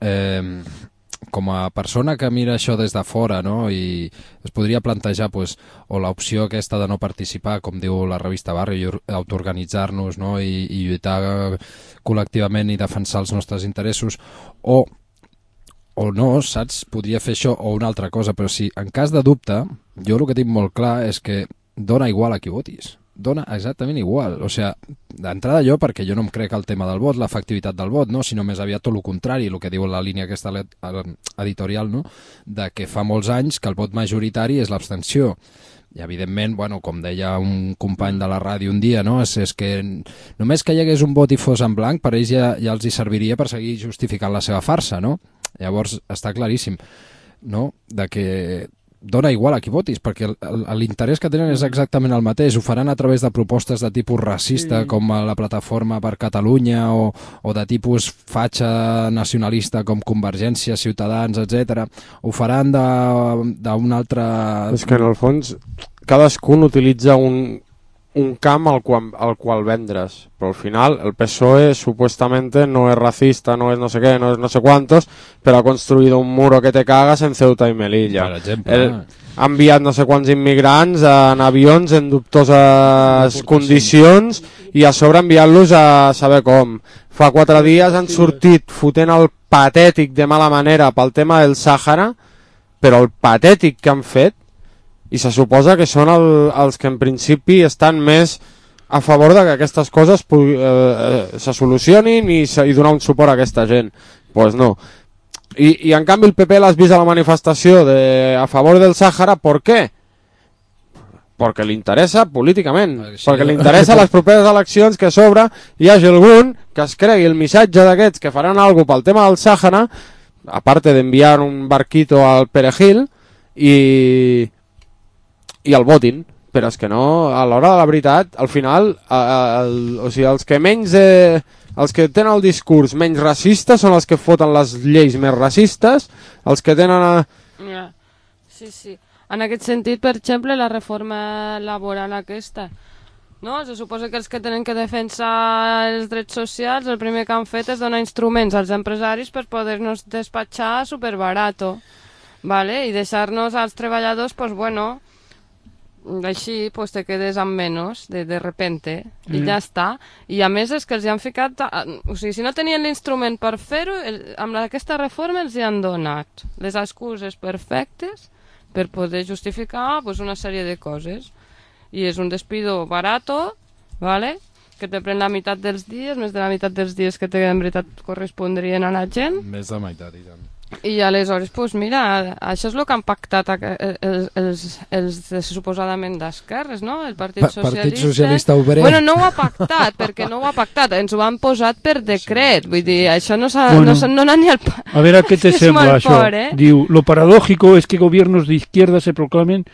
com a persona que mira això des de fora, no, i es podria plantejar pues, o l'opció aquesta de no participar, com diu la revista Barri, autoorganitzar-nos, no, i lluitar col·lectivament i defensar els nostres interessos, o no, saps? Podria fer això o una altra cosa, però si en cas de dubte, jo el que tinc molt clar és que dona igual a qui votis. Dona exactament igual. O sigui, d'entrada jo, perquè jo no em crec el tema del vot, l'efectivitat del vot, no? Sinó més aviat tot el contrari, el que diu la línia aquesta editorial, no? De que fa molts anys que el vot majoritari és l'abstenció. I evidentment, bueno, com deia un company de la ràdio un dia, no? És que només que hi hagués un vot i fos en blanc, per ells ja els hi serviria per seguir justificant la seva farsa, no? Llavors està claríssim, no? De que dona igual a qui votis, perquè l'interès que tenen és exactament el mateix. Ho faran a través de propostes de tipus racista, com la Plataforma per Catalunya, o de tipus fatxa nacionalista com Convergència, Ciutadans, etc. Ho faran d'un altre... És que en el fons cadascun utilitza un camp al qual vendre's, però al final el PSOE supuestamente no es racista, no es no sé qué, no es no sé cuántos, pero ha construido un muro que te cagas en Ceuta y Melilla. Per exemple, ha enviat no sé quants immigrants en avions en dubtoses condicions i a sobre enviant-los a saber com. Fa 4 dies han sortit fotent el patètic de mala manera pel tema del Sàhara, però el patètic que han fet, i se suposa que són els que en principi estan més a favor de que aquestes coses se solucionin i donar un suport a aquesta gent. Pues no. I en canvi el PP l'has vist a la manifestació a favor del Sàhara, ¿por qué? Perquè li interessa políticament, perquè li interessa les properes eleccions que a sobre hi hagi algun que es cregui el missatge d'aquests que faran alguna cosa pel tema del Sàhara, a part d'enviar un barquito al Perejil, i el votin, però és que no, a l'hora de la veritat, al final, o sigui, els que tenen el discurs menys racista són els que foten les lleis més racistes, els que tenen... Sí. En aquest sentit, per exemple, la reforma laboral aquesta, no? Se suposa que els que tenen que defensar els drets socials, el primer que han fet és donar instruments als empresaris per poder-nos despatxar superbarato, ¿vale? I deixar-nos als treballadors, pues bueno... així pues, te quedes amb menys de repente i ja està, i a més és que els hi han ficat, o sigui, si no tenien l'instrument per fer-ho, amb aquesta reforma els hi han donat les excuses perfectes per poder justificar pues, una sèrie de coses, i és un despido barato, ¿vale? Que te pren la meitat dels dies, més de la meitat dels dies que en veritat correspondrien a la gent, més de meitat i tant. I aleshores, doncs mira, això és el que han pactat els suposadament d'esquerres, no? El Partit Socialista Obrer. Bueno, no ho ha pactat, perquè no ho ha pactat, ens ho han posat per decret, vull dir, això no n'ha ni el... A veure què te sembla això. Diu, lo paradójico es que gobiernos de izquierda se proclaman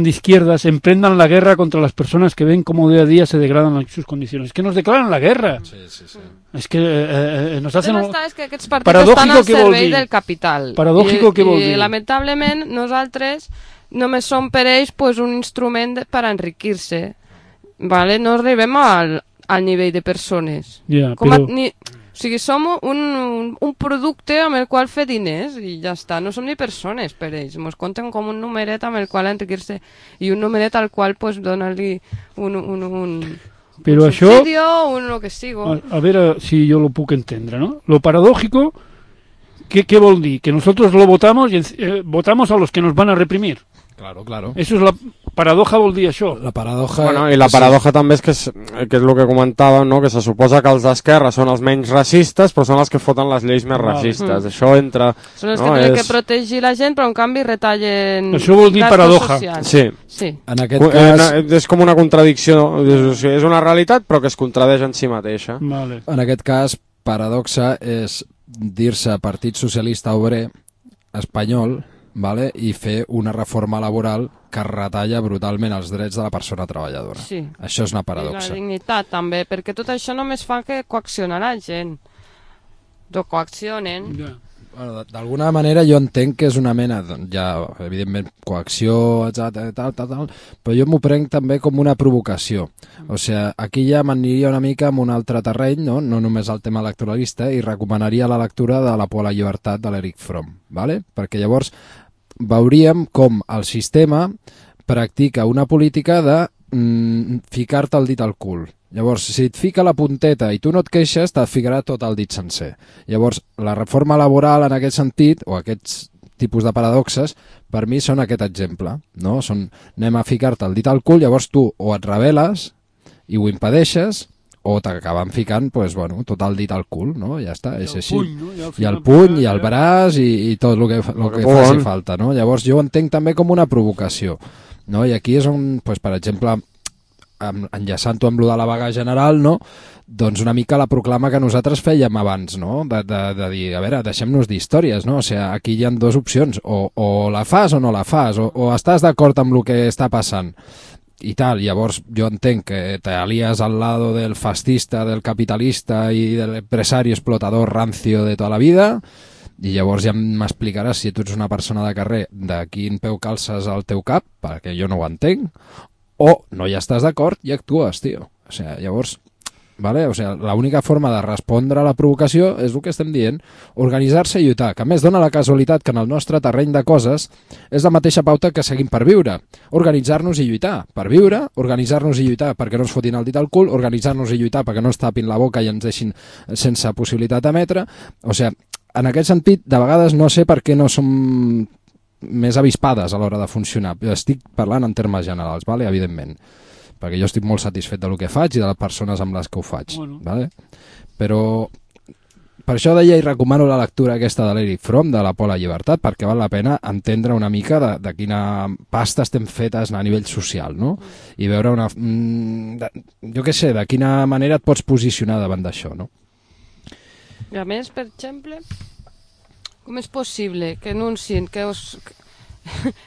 de izquierdas emprendan la guerra contra las personas que ven cómo día a día se degradan sus condiciones. Que nos declaran la guerra. Sí. Es que nos hacen... És que aquests partits estan al servei del capital. Paradògico què vol dir? I lamentablement nosaltres només som per ells pues, un instrument per enriquir-se. ¿Vale? No arribem al nivell de persones. Ja, però... O sigui, som un producte amb el qual fer diners i ja està, no som ni persones per ells, ens compten com un numeret amb el qual enriquir-se i un numeret al qual pues, donar-li un subsidio, lo que sigo. A veure si jo lo puc entendre, ¿no? Lo paradójico, ¿qué vol dir? Que nosotros lo votamos y votamos a los que nos van a reprimir. Claro. Eso es la paradoja, vol dir això. La paradoja... Bueno, i la paradoja també és que és el que comentàvem, no? Que se suposa que els d'esquerra són els menys racistes, però són els que foten les lleis més racistes. Això entra... Són els que tenen que protegir la gent, però en canvi retallen... Això vol dir paradoja. Sí. En aquest cas... És com una contradicció, és una realitat, però que es contradeix en si mateixa. Vale. En aquest cas, paradoxa és dir-se Partit Socialista Obrer espanyol, vale? I fer una reforma laboral que retalla brutalment els drets de la persona treballadora. Sí. Això és una paradoxa. I la dignitat també, perquè tot això només fa que coaccionar la gent. Lo coaccionen. Ja. Bueno, d'alguna manera jo entenc que és una mena, ja, evidentment, coacció, tal, però jo m'ho prenc també com una provocació. O sigui, aquí ja m'aniria una mica en un altre terreny, no només el tema electoralista, i recomanaria la lectura de La por a la llibertat de l'Eric Fromm, ¿vale? Perquè llavors veuríem com el sistema practica una política de ficar-te el dit al cul. Llavors, si et fica la punteta i tu no et queixes, te'l ficarà tot el dit sencer. Llavors, la reforma laboral en aquest sentit, o aquests tipus de paradoxes, per mi són aquest exemple, no? Anem a ficar-te el dit al cul, llavors tu o et rebel·les i ho impedeixes, o t'acaben ficant, pues, bueno, tot el dit al cul, no? Ja està, és així. I el puny, i el braç, i tot el que faci falta, no? Llavors, jo ho entenc també com una provocació, no? I aquí és on, pues, per exemple, enllaçant-ho amb lo de la vaga general, no? Doncs una mica la proclama que nosaltres fèiem abans, no? De dir, a veure, deixem-nos d'històries, no? O sigui, aquí hi ha dues opcions, o la fas o no la fas, o estàs d'acord amb el que està passant i tal. Llavors jo entenc que t'alies al lado del fascista, del capitalista i del empresari explotador rancio de tota la vida, i llavors ja m'explicaràs si tu ets una persona de carrer de quin peu calces al teu cap, perquè jo no ho entenc, o no hi estàs d'acord i actues, tio. O sigui, llavors, vale? O sigui, l'única forma de respondre a la provocació és el que estem dient, organitzar-se i lluitar, que a més dona la casualitat que en el nostre terreny de coses és la mateixa pauta que seguim per viure. Organitzar-nos i lluitar per viure, organitzar-nos i lluitar perquè no ens fotin el dit al cul, organitzar-nos i lluitar perquè no ens tapin la boca i ens deixin sense possibilitat d'emetre. O sigui, en aquest sentit, de vegades no sé per què no som més avispades a l'hora de funcionar. Estic parlant en termes generals, vale? Evidentment, perquè jo estic molt satisfet del que faig i de les persones amb les que ho faig, vale? Però per això deia i recomano la lectura aquesta de l'Eric Fromm, de La por a la llibertat, perquè val la pena entendre una mica de quina pasta estem fetes a nivell social, no? I veure jo què sé, de quina manera et pots posicionar davant d'això, no? I a més, per exemple, com és possible que anuncien, que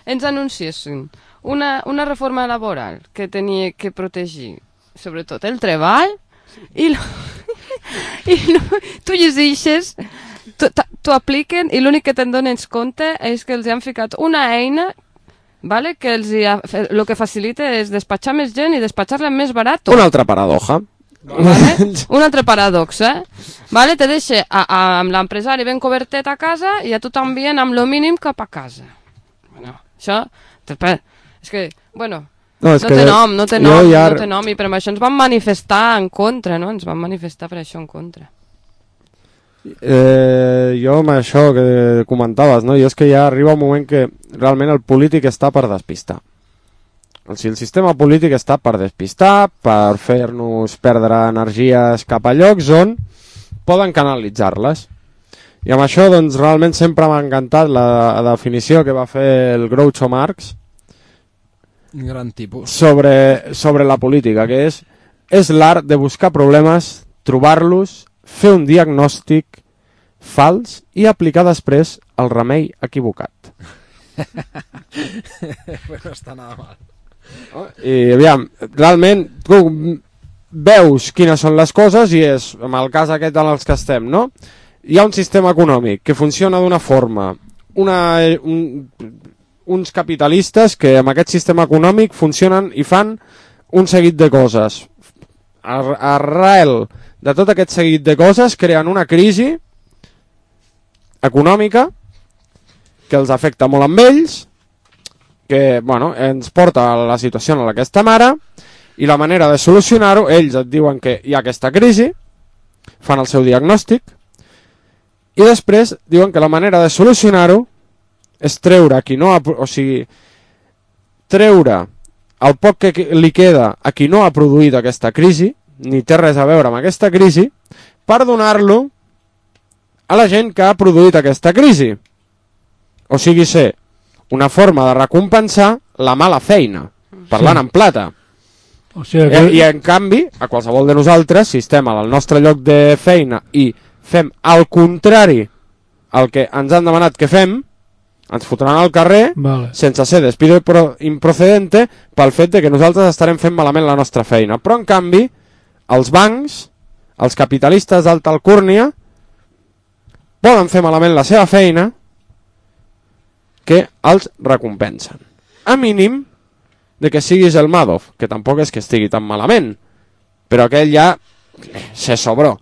ens anunciessin una reforma laboral que tenia que protegir, sobretot el treball, i tu llegeixes, t'ho apliquen i l'únic que te'n dones compte és que els han ficat una eina, vale, que el que facilita és despatxar més gent i despatxar-la més barat. Una altra paradoja. Vale? Una altra paradoxa, vale? Te deixa amb l'empresari ben cobertet a casa i a tu t'envien amb lo mínim cap a casa. Bueno, això és que, bueno, no té nom, i per això ens van manifestar en contra, no? Ens van manifestar per això en contra. Jo amb això que comentaves, no? I és que ja arriba un moment que realment el polític està per despistar. O sigui, el sistema polític està per despistar, per fer-nos perdre energies cap a llocs on poden canalitzar-les. I amb això, doncs, realment sempre m'ha encantat la definició que va fer el Groucho Marx, un gran tipus, sobre la política, que és l'art de buscar problemes, trobar-los, fer un diagnòstic fals i aplicar després el remei equivocat. Bueno, està nada mal. I aviam, realment tu veus quines són les coses i és, en el cas aquest en els que estem, no? Hi ha un sistema econòmic que funciona d'una forma, uns capitalistes que amb aquest sistema econòmic funcionen i fan un seguit de coses. Arrel de tot aquest seguit de coses creen una crisi econòmica que els afecta molt amb ells, que bueno, ens porta a la situació en la que estem ara, i la manera de solucionar-ho, ells et diuen que hi ha aquesta crisi, fan el seu diagnòstic, i després diuen que la manera de solucionar-ho és treure treure el poc que li queda a qui no ha produït aquesta crisi, ni té res a veure amb aquesta crisi, per donar-lo a la gent que ha produït aquesta crisi. O sigui, ser una forma de recompensar la mala feina, parlant en plata. O sigui que... I en canvi, a qualsevol de nosaltres, si estem al nostre lloc de feina i fem al contrari el que ens han demanat que fem, ens fotran al carrer, vale, sense ser despido improcedente, pel fet de que nosaltres estarem fent malament la nostra feina. Però en canvi, els bancs, els capitalistes d'alta alcúrnia, poden fer malament la seva feina que els recompensen. A mínim de que siguis el Madoff, que tampoc és que estigui tan malament, però aquell ja se sobró.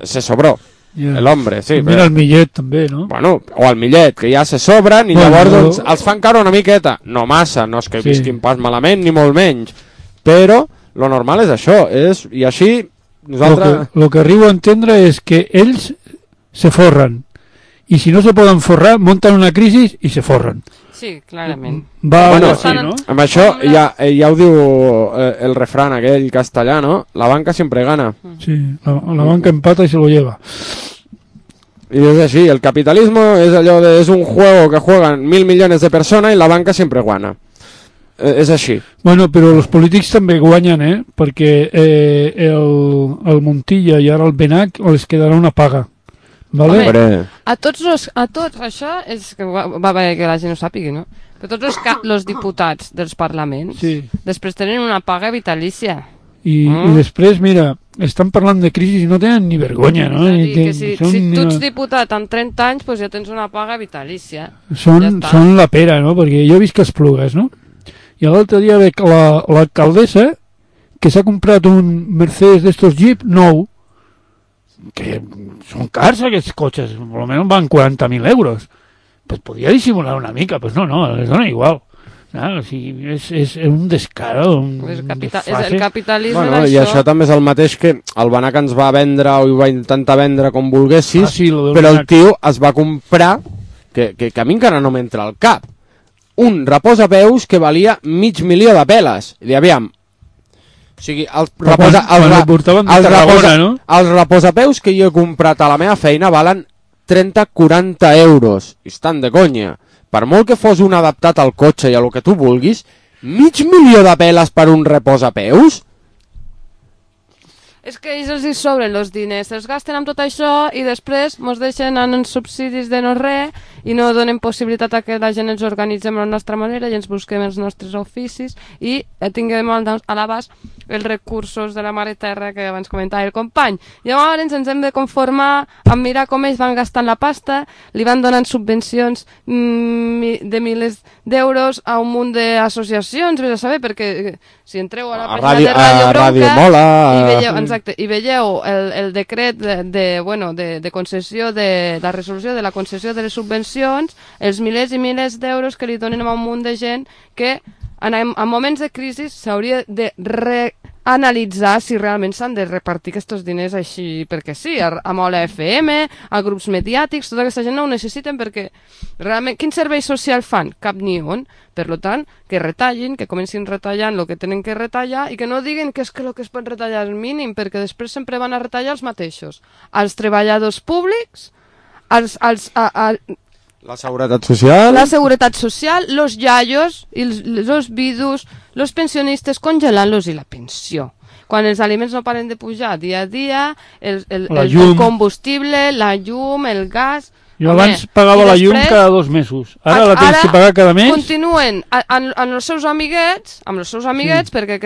Se sobró. Yeah. L'hombre, sí. Mira el Millet també, no? Bueno, o el Millet, que ja se sobren i llavors doncs, els fan caure una miqueta. No massa, no és que visquin pas malament ni molt menys, però lo normal és això, i així nosaltres... Lo que arribo a entendre és que ells se forren, i si no se poden forrar, munten una crisi i se forren. Sí, clarament. Bueno, sí, ¿no? amb això ja ho diu el refrán aquell castellà, ¿no? La banca siempre gana. Sí, la banca empata y se lo lleva. Y es así, el capitalismo es un juego que juegan 1.000 millones de personas y la banca siempre gana. És així. Bueno, però els polítics també guanyen, perquè el Montilla i ara el Benac els quedarà una paga. Vale? A tots això és que va bé que la gent ho sàpigui, no? Que tots els diputats dels parlaments després tenen una paga vitalícia. I després, mira, estan parlant de crisi i no tenen ni vergonya, no? Si tu ets diputat amb 30 anys, doncs ja tens una paga vitalícia. Són la pera, no? Perquè jo he vist que Esplugues, no? I l'altre dia veig l'alcaldessa que s'ha comprat un Mercedes d'estos Jeep nou, que són cars aquests cotxes, almenys van 40.000 euros. Pues podria dissimular una mica, pues no, les dona igual. O sigui, és un descaro, és el capitalisme, bueno, i això també és el mateix que el Benac ens va vendre o ho va intentar vendre com volguessis, però el tio es va comprar, que a mi encara no m'entra al cap, un reposapeus que valia 500.000 de peles. I aviam, o sigui, els reposapeus que jo he comprat a la meva feina valen 30-40 euros. I estan de conya. Per molt que fos un adaptat al cotxe i a lo que tu vulguis, 500.000 de peles per un reposapeus? És que ells els hi sobren els diners, els gasten amb tot això i després ens deixen en subsidis de no res i no donen possibilitat a que la gent ens organitzem a la nostra manera i ens busquem els nostres oficis i tinguem a l'abast els recursos de la mare terra que abans comentava el company. Llavors ens hem de conformar amb mirar com ells van gastant la pasta, li van donant subvencions de milers d'euros a un munt d'associacions, vés a saber, perquè si entreu a la pàgina de Ràdio Bronca i veieu el decret de concessió de la resolució de la concessió de les subvencions, els milers i milers d'euros que li donen a un munt de gent que en moments de crisi s'hauria de reanalitzar si realment s'han de repartir aquests diners així perquè sí, a Mola FM, a grups mediàtics, tota aquesta gent no ho necessiten perquè realment quin servei social fan? Cap ni un. Per tant, que retallin, que comencin retallant el que tenen que retallar i que no diguin que és que el que es pot retallar és mínim, perquè després sempre van a retallar els mateixos. Els treballadors públics, la seguretat social, los yayos, los vidus, los pensionistes congelant-los i la pensió. Quan els aliments no paren de pujar dia a dia, el combustible, la llum, el gas... Jo abans pagava la llum cada 2 mesos. Ara la tens que pagar cada mes. Continuen amb els seus amiguets, perquè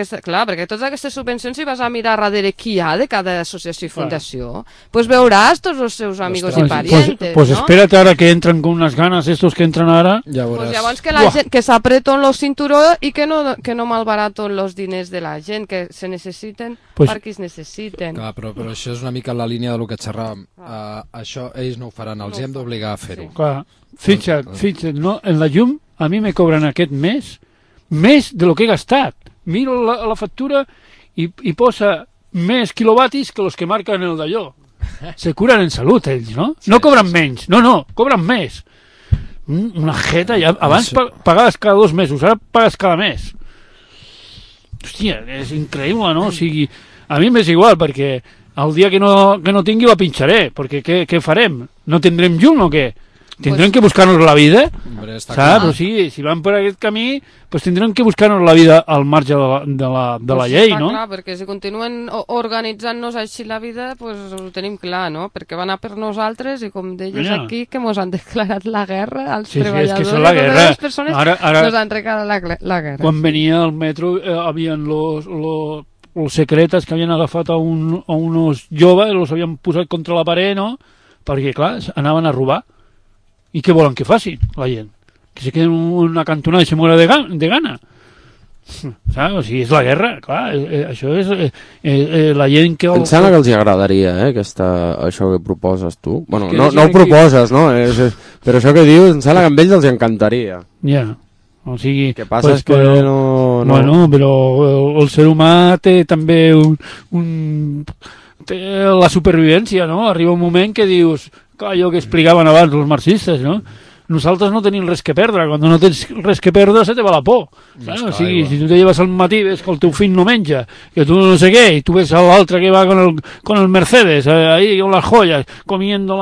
totes aquestes subvencions, si vas a mirar darrere qui hi ha de cada associació i fundació, pues veuràs tots els seus amigos i parientes. Pues espera't ara que entren con unas ganas estos que entran ara. Pues llavors que la gent que s'apreton los cinturó i que no malbaraten los diners de la gent, que se necessiten per qui es necessiten. Clar, però això és una mica la línia del que xerràvem. Això ells no ho faran, els hem d'obligar a fer-ho. Clar, fixa't, no? En la llum a mi me cobren aquest mes més de lo que he gastat. Miro la factura i posa més quilowatis que los que marquen el d'allò. Se curen en salut ells, no? No cobren menys, no, cobren més. Una jeta, abans pagaves cada 2 mesos, ara pagues cada mes. Hòstia, és increïble, no? O sigui, a mi m'és igual, perquè el dia que no tingui la pincharé, perquè què farem? No tindrem llum o què? Tindrem que buscar-nos la vida, saps? O sigui, si van per aquest camí, pues tindrem que buscar-nos la vida al marge de la llei, no? Clar, perquè si continuen organitzant-nos així la vida, pues ho tenim clar, no? Perquè van a per nosaltres i com deies aquí, que mos han declarat la guerra als treballadors. És que és la guerra. Les persones nos han regalat la guerra. Quan venia al metro, havien los secretes que havien agafat a unos joves, los havien posat contra la paret, no? perquè, clar, anaven a robar. I què volen que facin, la gent? Que se queden una cantonada i se muera de gana. Saps? O sigui, és la guerra, clar, això és la gent que... Em sembla que els agradaria, això que proposes tu. Bueno, que no ho proposes, no? Però això que dius, em sembla que a ells els encantaria. Ja, o sigui... El que passa és que no... Bueno, però el ser humà té també té la supervivència, no? Arriba un moment que dius, allò que explicaven abans els marxistes, no? Nosaltres no tenim res que perdre. Quan no tens res que perdre se te va la por. O sigui, si tu te lleves al matí ves que el teu fill no menja, que tu no sé què, i tu ves a l'altre que va con el Mercedes, ahí con las joyas, comiendo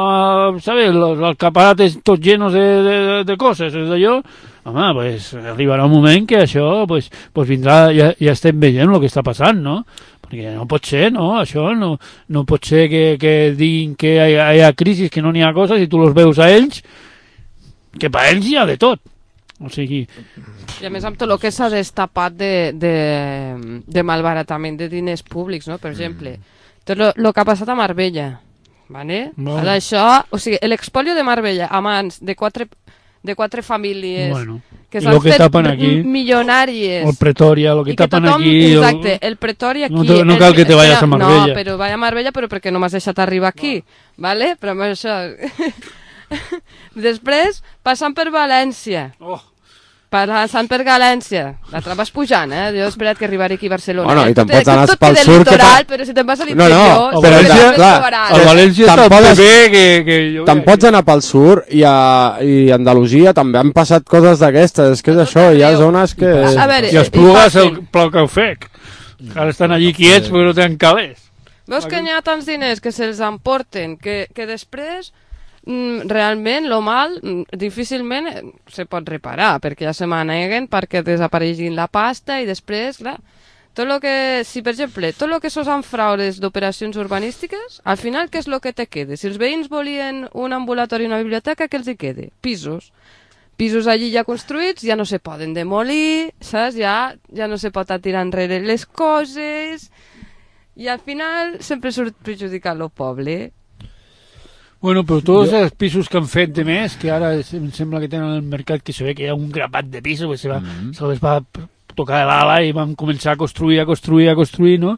¿sabes? Los alcaparates tots llenos de coses, d'allò, home, pues arribarà un moment que això pues vindrà, ja estem veient el que està passant, no? Perquè no pot ser, no? Això no pot ser que diguin que hi ha crisi, que no n'hi ha coses, i tu els veus a ells, que per ells hi ha de tot. O sigui... I a més amb tot el que s'ha destapat de malbaratament de diners públics, no? Per exemple, tot el que ha passat a Marbella, ¿vale? Bueno. Això, o sigui, l'expolio de Marbella a mans de quatre famílies, Bueno, que s'han fet aquí, milionàries, el Pretoria, el que tapen tothom, aquí... exacte, el Pretoria aquí... No cal que te vayas a Marbella. No, però vaig a Marbella però perquè no m'has deixat arribar aquí, ¿vale? Però amb això... Després, passant per València. Passant per València. L'altre vas pujant, Jo he esperat que arribaré aquí a Barcelona. Bueno, i te'n pots anar pel sur, litoral, però si te'n vas a l'interior... No, però a València està el PP que... Te'n pots anar pel sur i a Andalusia també han passat coses d'aquestes. És que és això, hi ha zones que... I els Plugues el plau que ho fec. Ara estan allí quiets perquè no tenen calés. Veus que n'hi ha tants diners que se'ls emporten, que després... realment lo mal difícilment se pot reparar perquè ja se maneguen perquè desapareixin la pasta i després, clar, tot lo que, si per exemple, tot el que són fraudes d'operacions urbanístiques, al final què és el que te queda? Si els veïns volien un ambulatori i una biblioteca, què els hi queda? Pisos allí ja construïts, ja no se poden demolir, saps? Ja no se pot tirar enrere les coses i al final sempre surt perjudicat el poble. Bueno, però tots els pisos que han fet de més, que ara em sembla que tenen al mercat, que se ve que hi ha un grapat de pisos, que se les va tocar de l'ala i van començar a construir, no?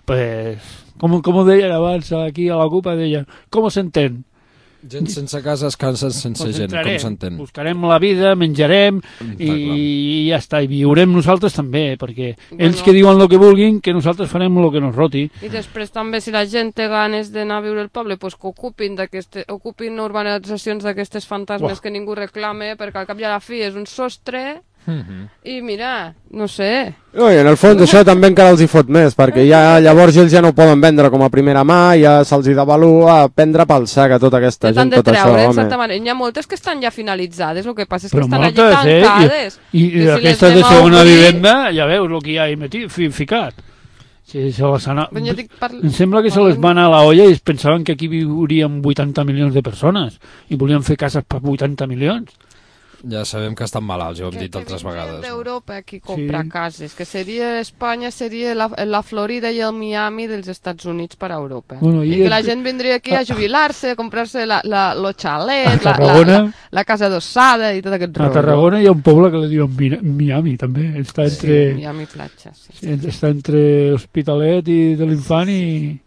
Pues, com deien abans aquí a la CUP, deien, com s'entén? Gent sense casa es cansa sense gent, com s'entén? Buscarem la vida, menjarem i ja està, i viurem nosaltres també, perquè ells que diuen el que vulguin, que nosaltres farem el que nos roti. I després també si la gent té ganes d'anar a viure al poble, pues que ocupin urbanitzacions d'aquestes fantasmes que ningú reclame, perquè al cap i a la fi és un sostre i mira, no sé. I en el fons això també encara els hi fot més, perquè ja llavors ells ja no ho poden vendre com a primera mà, ja se'ls hi devalua prendre pel sac a tota aquesta gent, tot això, home. Hi ha moltes que estan ja finalitzades, el que passa és que però estan moltes, allí tancades. I aquestes de segona vivenda, ja veus el que hi ha ficat. Sí, em sembla que se les va anar a la olla i es pensaven que aquí viurien 80 milions de persones i volien fer cases per 80 milions. Ja sabem que estan malalts, ja ho hem dit altres vegades. D'Europa qui compra cases, que seria Espanya, seria la Florida i el Miami dels Estats Units per a Europa. Bueno, i que la gent vindria aquí a jubilar-se, a comprar-se lo xalet, la casa adossada i tot aquest rotllo. A Tarragona hi ha un poble que li diuen Miami, també. Està entre... Miami Platja, sí. Està entre Hospitalet i de l'Infant i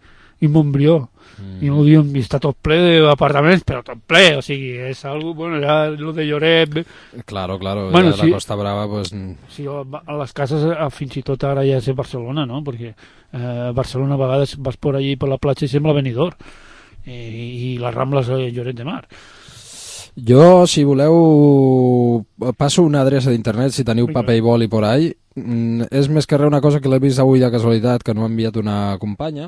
Montbrió. I no ho diuen, està tot ple d'apartaments, però tot ple, o sigui, és algo, bueno, ja lo de Lloret... Claro, bueno, ja la Costa Brava, pues... Sí, a les cases, fins i tot ara ja és a Barcelona, no?, perquè a Barcelona a vegades vas per allí per la platja i sembla Benidorm, i les Rambles a Lloret de Mar. Jo, si voleu, passo una adreça d'internet, si teniu paper i boli por ahí. És més que res una cosa que l'he vist avui de casualitat, que no m'ha enviat una companya,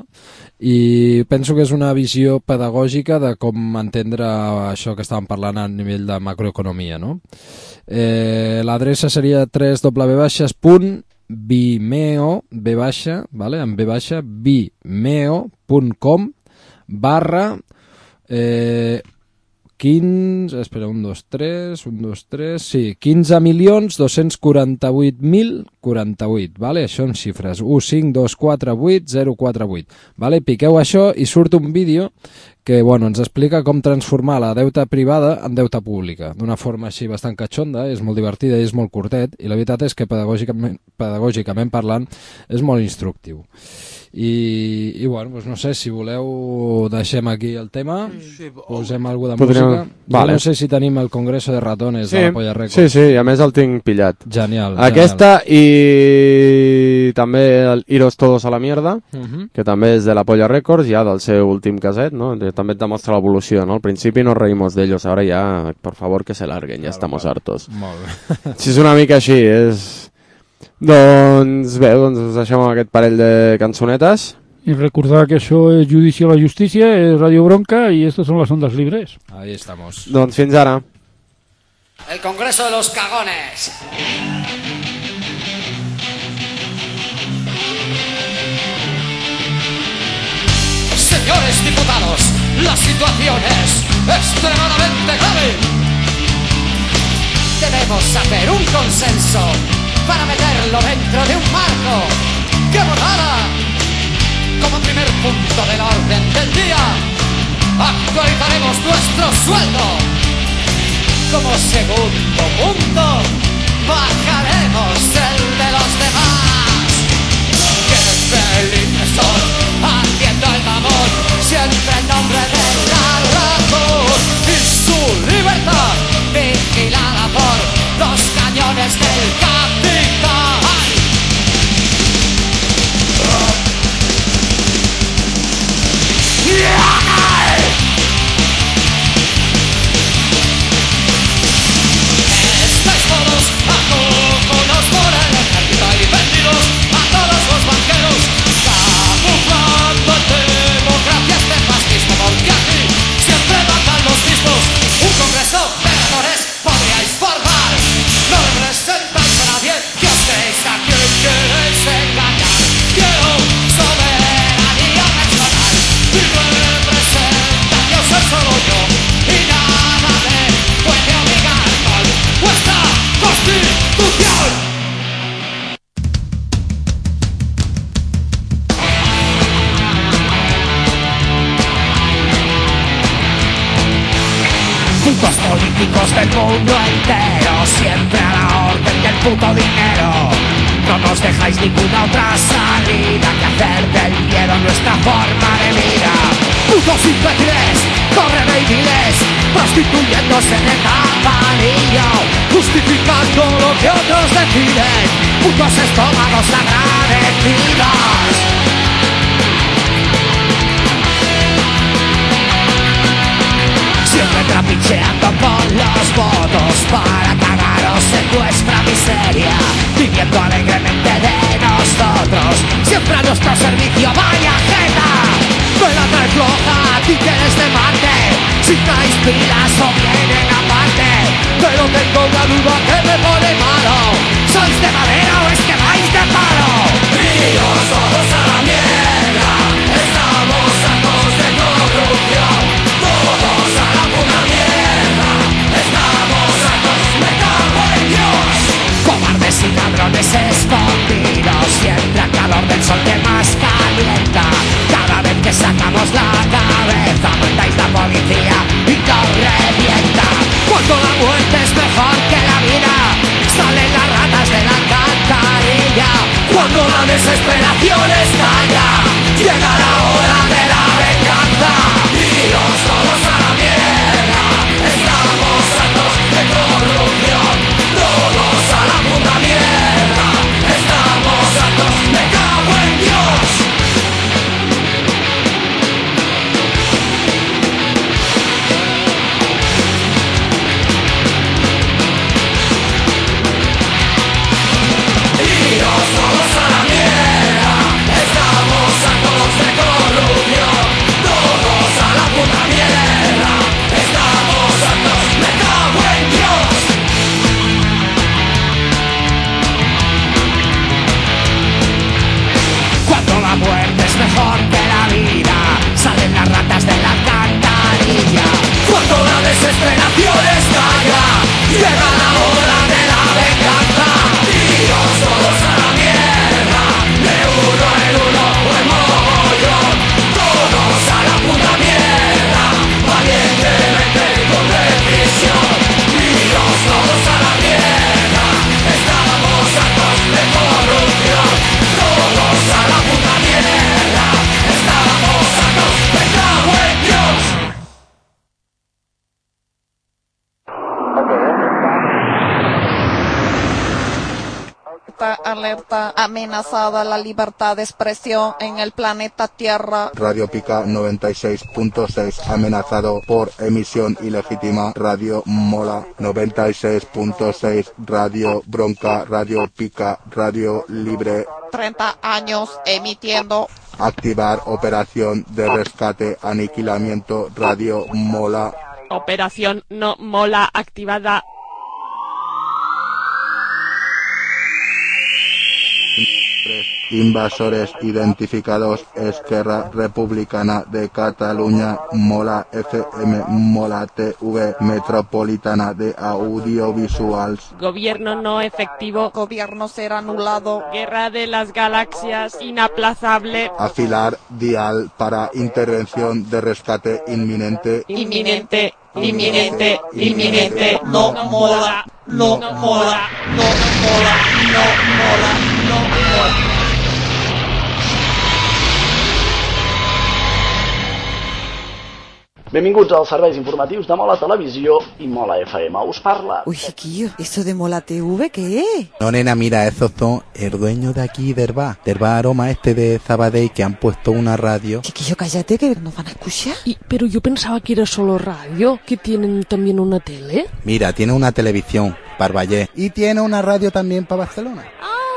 i penso que és una visió pedagògica de com entendre això que estàvem parlant a nivell de macroeconomia, no? L'adreça seria www.vimeo, vale? En vimeo.com / 15, espera, 15.248.048, vale? Això en xifres, 15248.048, vale? Piqueu això i surt un vídeo que ens explica com transformar la deuta privada en deuta pública, d'una forma així bastant catxonda, és molt divertida i és molt curtet, i la veritat és que pedagògicament parlant és molt instructiu. I no sé, si voleu deixem aquí el tema, posem alguna de música. Vale. No sé si tenim el Congreso de Ratones de la Polla Records. Sí, a més el tinc pillat. Genial. Aquesta i també el Iros Todos a la Mierda, que també és de la Polla Records, ja del seu últim caset, no? També et demostra l'evolució, no? Al principi nos reímos d'ellos, ahora ya, por favor, que se larguen, ya estamos hartos. Molt bé. Si és una mica així, és... Doncs bé, us deixem amb aquest parell de cançonetes. Y recordar que això és Judici a la Justícia, és Radio Bronca y estos son las ondas libres. Ahí estamos. Doncs fins ara. El Congreso de los Cagones. Señores diputados, la situación es extremadamente grave. Debemos hacer un consenso para meterlo dentro de un marco que votara como primer punto del orden del día. Actualizaremos nuestro sueldo. Como segundo punto bajaremos el de los demás. ¡Qué felices son haciendo el mamón! Siempre en nombre de la razón y su libertad, vigilada por los cañones del capital. Estáis todos acojonados por el ejército y vendidos a todos los banqueros, camuflando democracias de fascismo, porque aquí siempre mandan los mismos. Un congreso de ratones podríais formar. No representáis a nadie, que os creéis a quien queréis engañar. Quiero soberanía nacional y representación soy solo yo, y nada me puede obligar con vuestra constitución. Puntos políticos del mundo entero, siempre a la orden del puto dinero. No nos dejáis ninguna otra salida que hacer del miedo nuestra forma de vida. Putos imbéciles, corren miles, prostituyéndose en el campanillo, justificando lo que otros deciden. Putos estómagos agradecidos. Siempre trapicheando con los votos para cagaros en vuestra miseria, viviendo alegremente de nosotros, siempre a nuestro servicio. Vaya jeta, no la traes floja, títeres de Marte, si traes pilas o vienen aparte. Pero tengo una duda que me pone malo, ¿sois de madera o es que vais de palo? Iros todos a la mierda, estamos hartos de corrupción. Todos a la puta mierda, estamos hartos, me cago en Dios. Cobardes y ladrones escondidos, siempre al calor del sol que más calienta. Cada vez que sacamos la cabeza, mandáis la policía y nos revienta. Cuando la muerte es mejor que la vida, salen las ratas de la alcantarilla. Cuando la desesperación está Alerta, alerta, amenazada la libertad de expresión en el planeta Tierra. Radio Pica 96.6, amenazado por emisión ilegítima. Radio Mola 96.6, Radio Bronca, Radio Pica, Radio Libre. 30 años emitiendo. Activar operación de rescate, aniquilamiento, Radio Mola. Operación no mola activada. Invasores identificados. Esquerra Republicana de Cataluña, Mola FM, Mola TV, Metropolitana de Audiovisuals. Gobierno no efectivo. Gobierno ser anulado. Guerra de las galaxias inaplazable. Afilar dial para intervención de rescate inminente. Inminente, inminente, inminente. No mola, no mola, no mola, no mola, no mola. Benvinguts als serveis informatius de Mola Televisió i Mola FM. Us parla... Uy, chiquillo, ¿eso de Mola TV qué es? No, nena, mira, esos son el dueño de aquí del bar Aroma de Sabadell, que han puesto una radio. Chiquillo, cállate, que nos van a escuchar. Pero yo pensaba que era solo radio, que tienen también una tele. Mira, tiene una televisión para Vallès y tiene una radio también para Barcelona.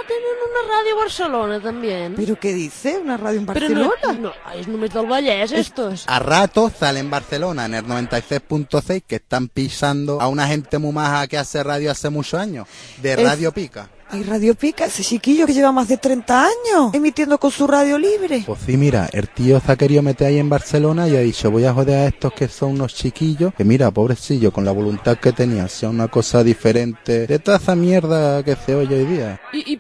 Tienen una radio a Barcelona también. ¿Pero qué dice? ¿Una radio en Barcelona? Pero no, es només del Vallès, estos. A rato sale en Barcelona, en el 96.6, que están pisando a una gente muy maja que hace radio hace muchos años, de Radio Pica. Hay Radio Pica, ese chiquillo que lleva más de 30 años emitiendo con su radio libre. Pues sí, mira, el tío se ha querido meter ahí en Barcelona y ha dicho, voy a joder a estos que son unos chiquillos, que mira, pobrecillo, con la voluntad que tenía, sea una cosa diferente de toda esa mierda que se oye hoy día. ¿Y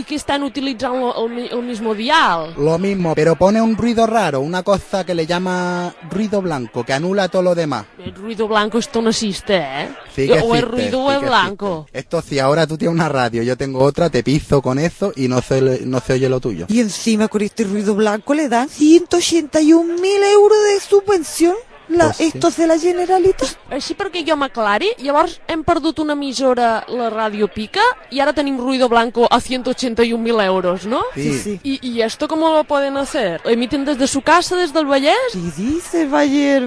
que están utilizando el mismo dial? Lo mismo, pero pone un ruido raro, una cosa que le llama ruido blanco, que anula todo lo demás. El ruido blanco esto no existe, ¿eh? Sí que o existe, el ruido es blanco. Existe. Esto si ahora tú tienes una radio, yo tengo otra, te piso con eso y no se oye lo tuyo. Y encima con este ruido blanco le dan 181.000 euros de subvención. Pues sí. Estos de la Generalitat. Així perquè jo m'aclari, llavors hem perdut una emissora, la Radio Pica, y ahora tenim ruido blanco a 181.000 euros, ¿no? Sí. ¿Y esto cómo lo pueden hacer? ¿Emiten desde su casa, desde el Vallès? Sí, dice Vallès.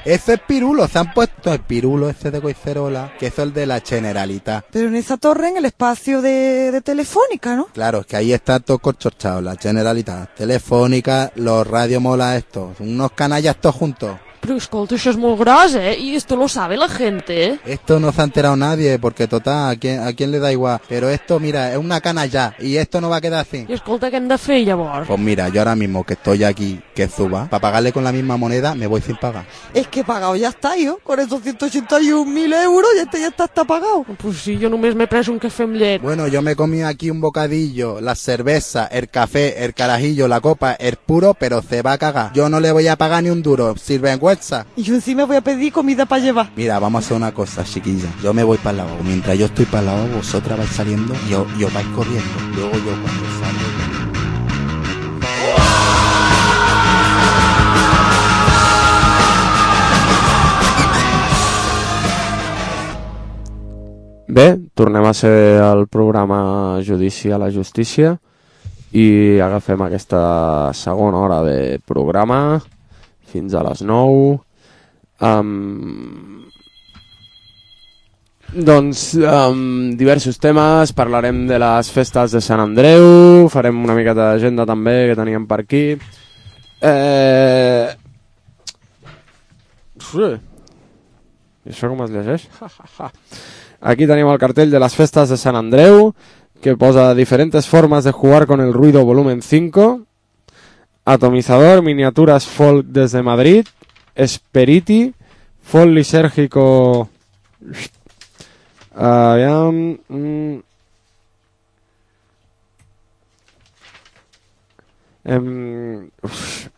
Ese es Pirulo, se han puesto el Pirulo ese de Coicerola, que es el de la Generalitat. Pero en esa torre, en el espacio de Telefónica, ¿no? Claro, es que ahí está todo corchochado, la Generalitat, Telefónica, los Radio Mola estos, unos canallas todos juntos. Pero escolta, això és molt gros, ¿eh? Y esto lo sabe la gente, ¿eh? Esto no se ha enterado nadie, porque total, ¿a quién le da igual? Pero esto, mira, es una cana ya, y esto no va a quedar así. I escolta, què hem de fer, llavors? Pues mira, yo ahora mismo que estoy aquí, que suba, para pagarle con la misma moneda, me voy sin pagar. Es que pagado ya está, yo, con esos 181.000 euros, ya está pagado. Pues sí, yo només m'he pres un cafè amb llet. Bueno, yo me comí aquí un bocadillo, la cerveza, el café, el carajillo, la copa, el puro, pero se va a cagar. Yo no le voy a pagar ni un duro, sirvencuenza. Y yo encima voy a pedir comida para llevar. Mira, vamos a hacer una cosa, chiquilla. Yo me voy para el lavabo. Mientras yo estoy para el lavabo, vosotras vais saliendo y os vais corriendo. Luego yo cuando salgo... Bé, tornem a ser al programa Judici a la Justícia i agafem aquesta segona hora de programa fins a les 9. Diversos temes, parlarem de les festes de Sant Andreu, farem una miqueta d'agenda també que teníem per aquí. I això com es llegeix? Aquí tenim el cartell de las festas de San Andreu, que posa diferentes formas de jugar con el ruido volumen 5, atomizador, miniaturas folk desde Madrid, Esperiti, folk lisérgico...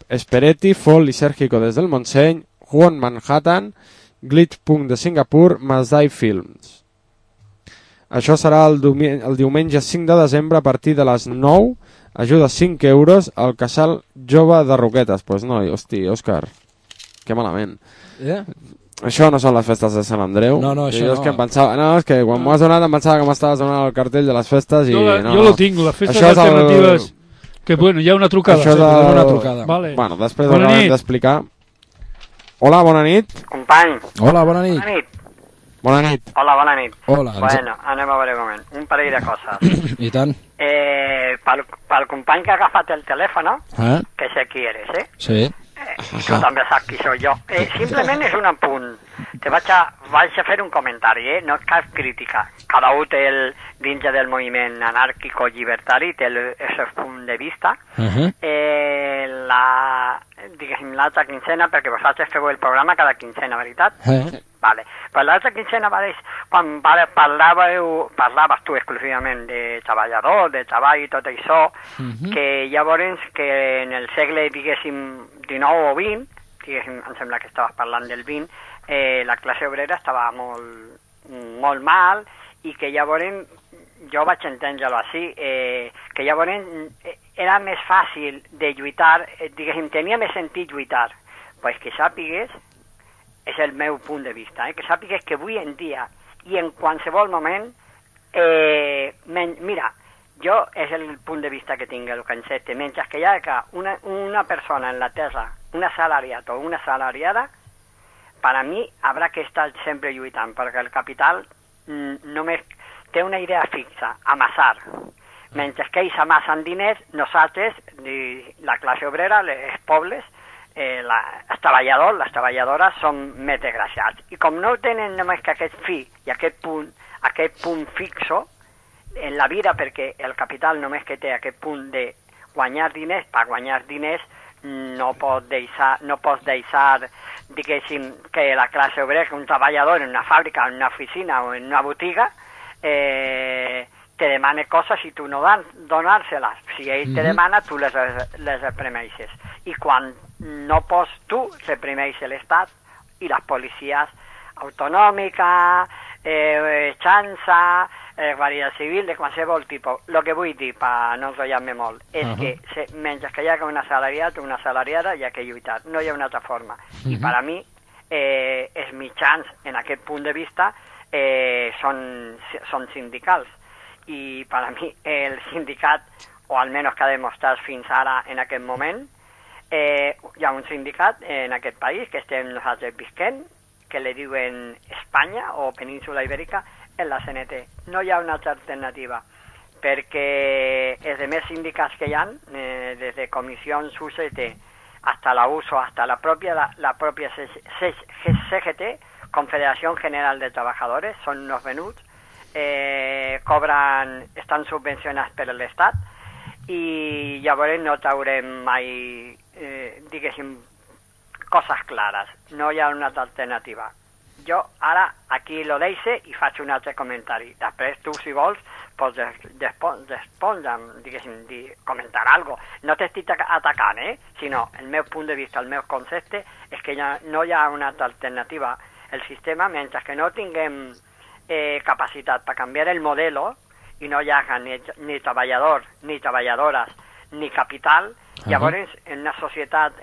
Espereti, folk lisérgico desde el Montseny, Juan Manhattan, Glitch Punk de Singapur, Masdai Films. Això serà el diumenge 5 de desembre a partir de les 9. Ajuda 5 euros al casal jove de Roquetes. Pues no, hosti, Òscar, que malament. Això no són les festes de Sant Andreu. No, això no. És que em pensava, és que quan m'ho has donat em pensava que m'estaves donant el cartell de les festes i... Jo lo tinc, les festes alternatives... Que bueno, hi ha una trucada. Això una trucada. Vale. Bueno, després ho acabem d'explicar. Hola, bona nit. Company. Hola, bona nit. Bona nit. Bona nit. Hola, bona nit. Hola. Bueno, anem a veure un moment. Un parell de coses. I tant. Pel company que ha agafat el telèfon, que sé qui eres, Sí. Tu també saps qui soc jo. Simplement és un apunt. Vaig a fer un comentari, no és cap crítica. Cada un té dins del moviment anàrquico-llibertari té el seu punt de vista. Diguéssim, l'altra quincena, perquè vosaltres feu el programa cada quincena, veritat? Vale. Però l'altra quincena, quan parlaves tu exclusivament de treballador, de treball i tot això, que llavors que en el segle, diguéssim, XIX o XX, diguéssim, em sembla que estaves parlant del XX, la classe obrera estava molt mal i que llavors, jo vaig entendre-ho així, que llavors era més fàcil de lluitar, diguéssim, tenia més sentit lluitar. Pues que sàpigues, és el meu punt de vista, que sàpigues que avui en dia i en qualsevol moment, mira, jo és el punt de vista que tinc, el concepte, mentre que hi ha una persona en la terra, un assalariat o una assalariada, per a mi haurà que estar sempre lluitant, perquè el capital només té una idea fixa, amassar. Mentre que ells amassen diners, nosaltres, la classe obrera, els pobles, els treballadors, les treballadores són més desgraciats. I com no tenen només que aquest fi i aquest punt fixo en la vida, perquè el capital només que té aquest punt de guanyar diners, per guanyar diners no pots deixar diguéssim, que la classe obrera, que un treballador en una fàbrica, en una oficina o en una botiga, te demana coses i tu no donar-se-les. Si ell te demana, tu les reprimeixes. I quan no pots tu, reprimeix l'Estat i les policies autonòmiques, xança, Guàrdia Civil, de qualsevol tipus. El que vull dir, per no enrotllar-me molt, és que mentre que hi ha un assalariat o una assalariada, hi ha que lluitar. No hi ha una altra forma. I per a mi, els mitjans, en aquest punt de vista, són sindicals. I per a mi, el sindicat, o almenys que ha demostrat fins ara en aquest moment, hi ha un sindicat en aquest país que estem nosaltres visquent, que li diuen Espanya o Península Ibèrica, en la CNT. No hi ha una altra alternativa, perquè els demés sindicats que hi ha, des de comissions UCT hasta la USO, hasta la propia CGT, Confederación General de Trabajadores, són uns venuts, estan subvencionats per l'Estat i llavors no traurem mai, diguéssim, coses clares. No hi ha una altra alternativa. Jo ara aquí lo deixe i faig un altre comentari. Després tu, si vols, pots respondre, diguéssim, comentar alguna cosa. No t'estic atacant, sinó el meu punt de vista, el meu concepte és que no hi ha una altra alternativa. El sistema, mentre que no tinguem capacitat per canviar el modelo i no hi haja ni treballadors, ni treballadores, ni capital, llavors en una societat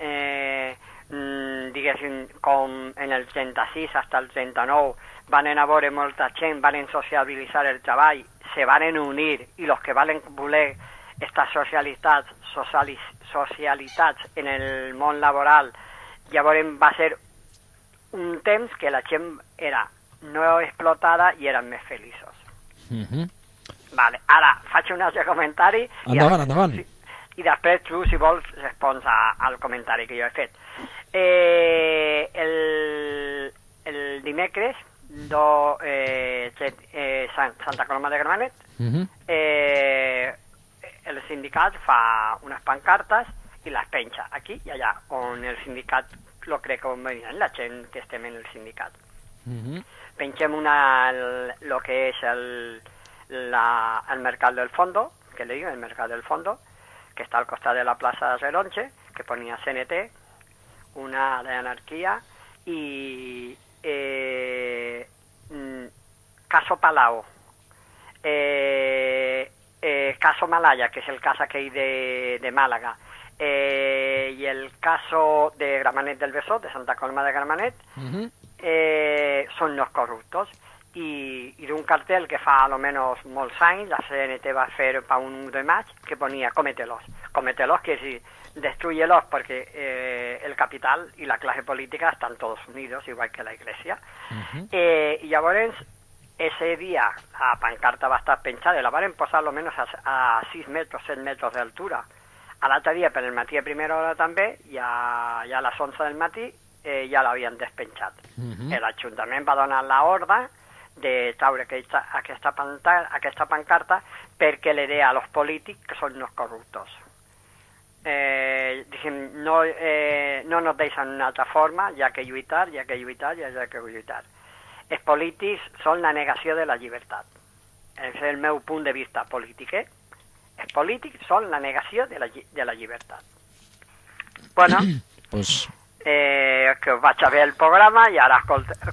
diguéssim, com en el 36 fins al 39 van a veure molta gent, van sociabilitzar el treball, se van unir i els que van voler estar socialitzats en el món laboral, llavors va ser un temps que la gent era no explotada i eren més feliços. Vale, ara faig un altre comentari endavant. I després tu, si vols, respons al comentari que jo he fet. El dimecres Santa Coloma de Gramenet, el sindicat fa unes pancartes i les penja aquí i allà, on el sindicat lo crec convenient, la gent que estem en el sindicat. Pengem lo que és el Mercat del Fondo, que le digo, el Mercat del Fondo, que està al costat de la plaça de Relonche, que ponia CNT, una de anarquia, i Caso Palau, Caso Malaya, que és el cas aquell de Màlaga, i el caso de Gramenet del Besós, de Santa Coloma de Gramenet, són los corruptos. I d'un cartel que fa almenys molts anys la CNT va fer per un 1 de maig que ponia cómetelos, que si destruyelos porque el capital y la clase política están todos unidos, igual que la iglesia. I llavors ese dia la pancarta va estar penjada i la van posar almenys a 6 metres, 7 metres d'altura. A l'altre dia per el matí a primera hora també, ja a les 11 del matí ja l'havien despenjat. L'Ajuntament va donar l'ordre de traure aquesta pancarta perquè le dé a los polítics que són los corruptos. No nos deixen una altra forma, hi ha que lluitar. Els polítics són la negació de la llibertat. És el meu punt de vista polític, Els polítics són la negació de la llibertat. Bueno, pues que us vaig a ver el programa i ara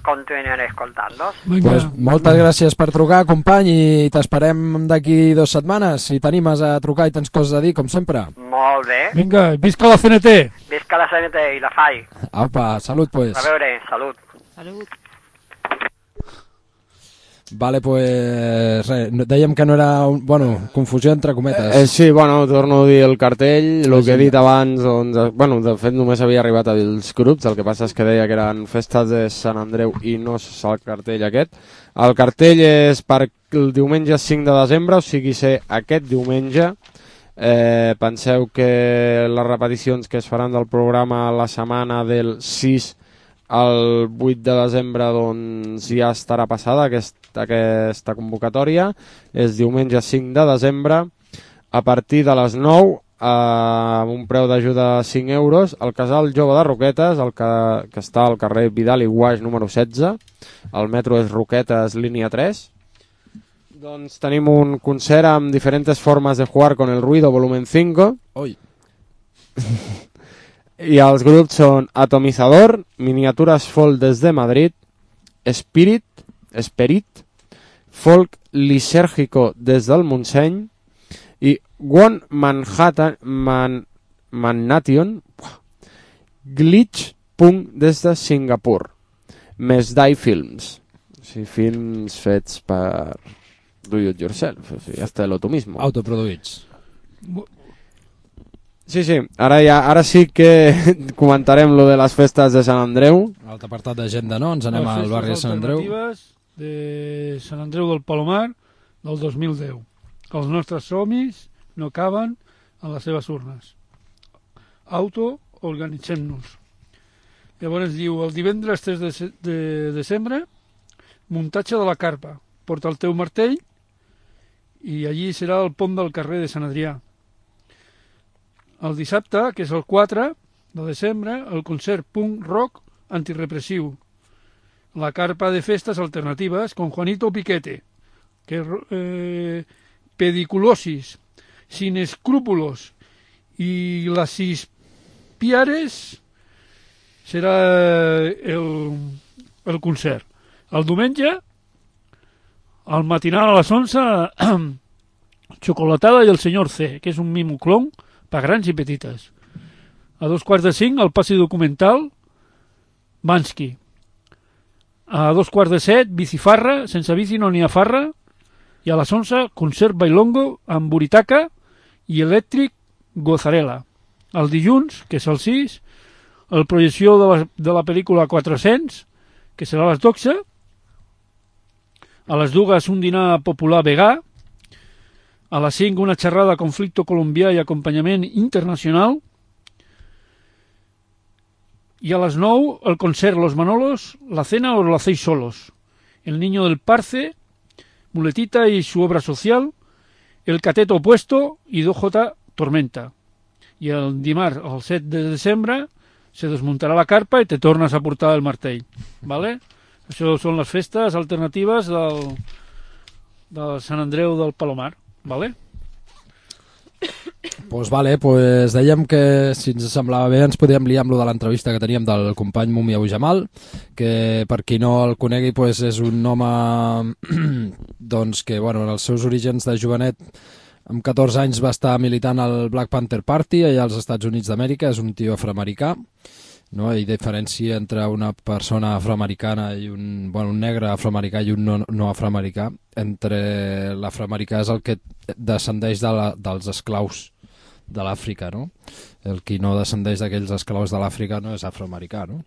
continuaré escoltant-los. Pues moltes gràcies per trucar, company, i t'esperem d'aquí 2 setmanes. Si t'animes a trucar i tens coses a dir, com sempre. Molt bé. Vinga, visca la CNT. Visca la CNT i la FAI. Apa, salut, pues. A veure, salut. Salut. Vale, pues res, dèiem que no era... Bueno, confusió entre cometes. Sí, bueno, torno a dir el cartell, el que he dit abans, doncs, bueno, de fet només havia arribat als grups, el que passa és que deia que eren festes de Sant Andreu i no és el cartell aquest. El cartell és per el diumenge 5 de desembre, o sigui ser aquest diumenge. Penseu que les repeticions que es faran del programa la setmana del 6 al 8 de desembre doncs ja estarà passada aquesta convocatòria. És diumenge 5 de desembre a partir de les 9 amb un preu d'ajuda de 5 euros al Casal Jove de Roquetes, que està al carrer Vidal i Guaix número 16. El metro és Roquetes línia 3. Doncs tenim un concert amb diferents formes de jugar con el ruido volumen 5. Oi. I els grups són Atomizador, Miniaturas Folk desde Madrid, Spirit, Folk Lisérgico des del Montseny i One Mannation, Glitch Punk des de Singapur, més Dai Films, o sigui, films fets per do it yourself, o sigui, hasta lo tu mismo. Autoproduïts. Sí, ara sí que comentarem lo de les festes de Sant Andreu. L'altre apartat d'agenda, no? Ens anem al barri de Sant Andreu. Les festes alternatives de Sant Andreu del Palomar del 2010. Els nostres somnis no caben en les seves urnes. Autoorganitzem-nos. Llavors diu, el divendres 3 de desembre, muntatge de la carpa. Porta el teu martell i allí serà el pont del carrer de Sant Adrià. El dissabte, que és el 4 de desembre, el concert punk rock antirepressiu. La carpa de festes alternatives con Juanito Piquete, que pediculosis, sin escrúpulos y las Piares serà el concert. El diumenge, al matinal a les 11, Xocolatada i el senyor C, que és un mimo clon per grans i petites. A 4:45, el passi documental Bansky. A 6:45, bicifarra, sense bici no n'hi ha farra. I a les 11, concert bailongo amb buritaca i elèctric gozarela. El dilluns, que és el 6, la projecció de la pel·lícula 400, que serà a les 12. A les 2, un dinar popular vegà. A les 5, una xerrada de conflicte colombià i acompanyament internacional. Y a las 9, el concert Los Manolos, La Cena o Lo Hacéis Solos. El Niño del Parce, Muletita y su obra social, El Cateto Opuesto y 2J Tormenta. I el dimarts, el 7 de desembre, se desmuntarà la carpa i te tornes a portar el martell. ¿Vale? Això són les festes alternatives del Sant Andreu del Palomar. ¿Vale? Pues vale, pues dèiem que si ens semblava bé ens podíem liar amb lo de l'entrevista que teníem del company Mumi Abu Jamal, que per qui no el conegui pues és un home doncs que bueno, en els seus orígens de jovenet amb 14 anys va estar militant al Black Panther Party allà als Estats Units d'Amèrica, és un tio afroamericà no? I diferència entre una persona afroamericana i un negre afroamericà i un no afroamericà. Entre l'afroamericà és el que descendeix dels esclaus de l'Àfrica, no? El qui no descendeix d'aquells esclaus de l'Àfrica no és afroamericà, no?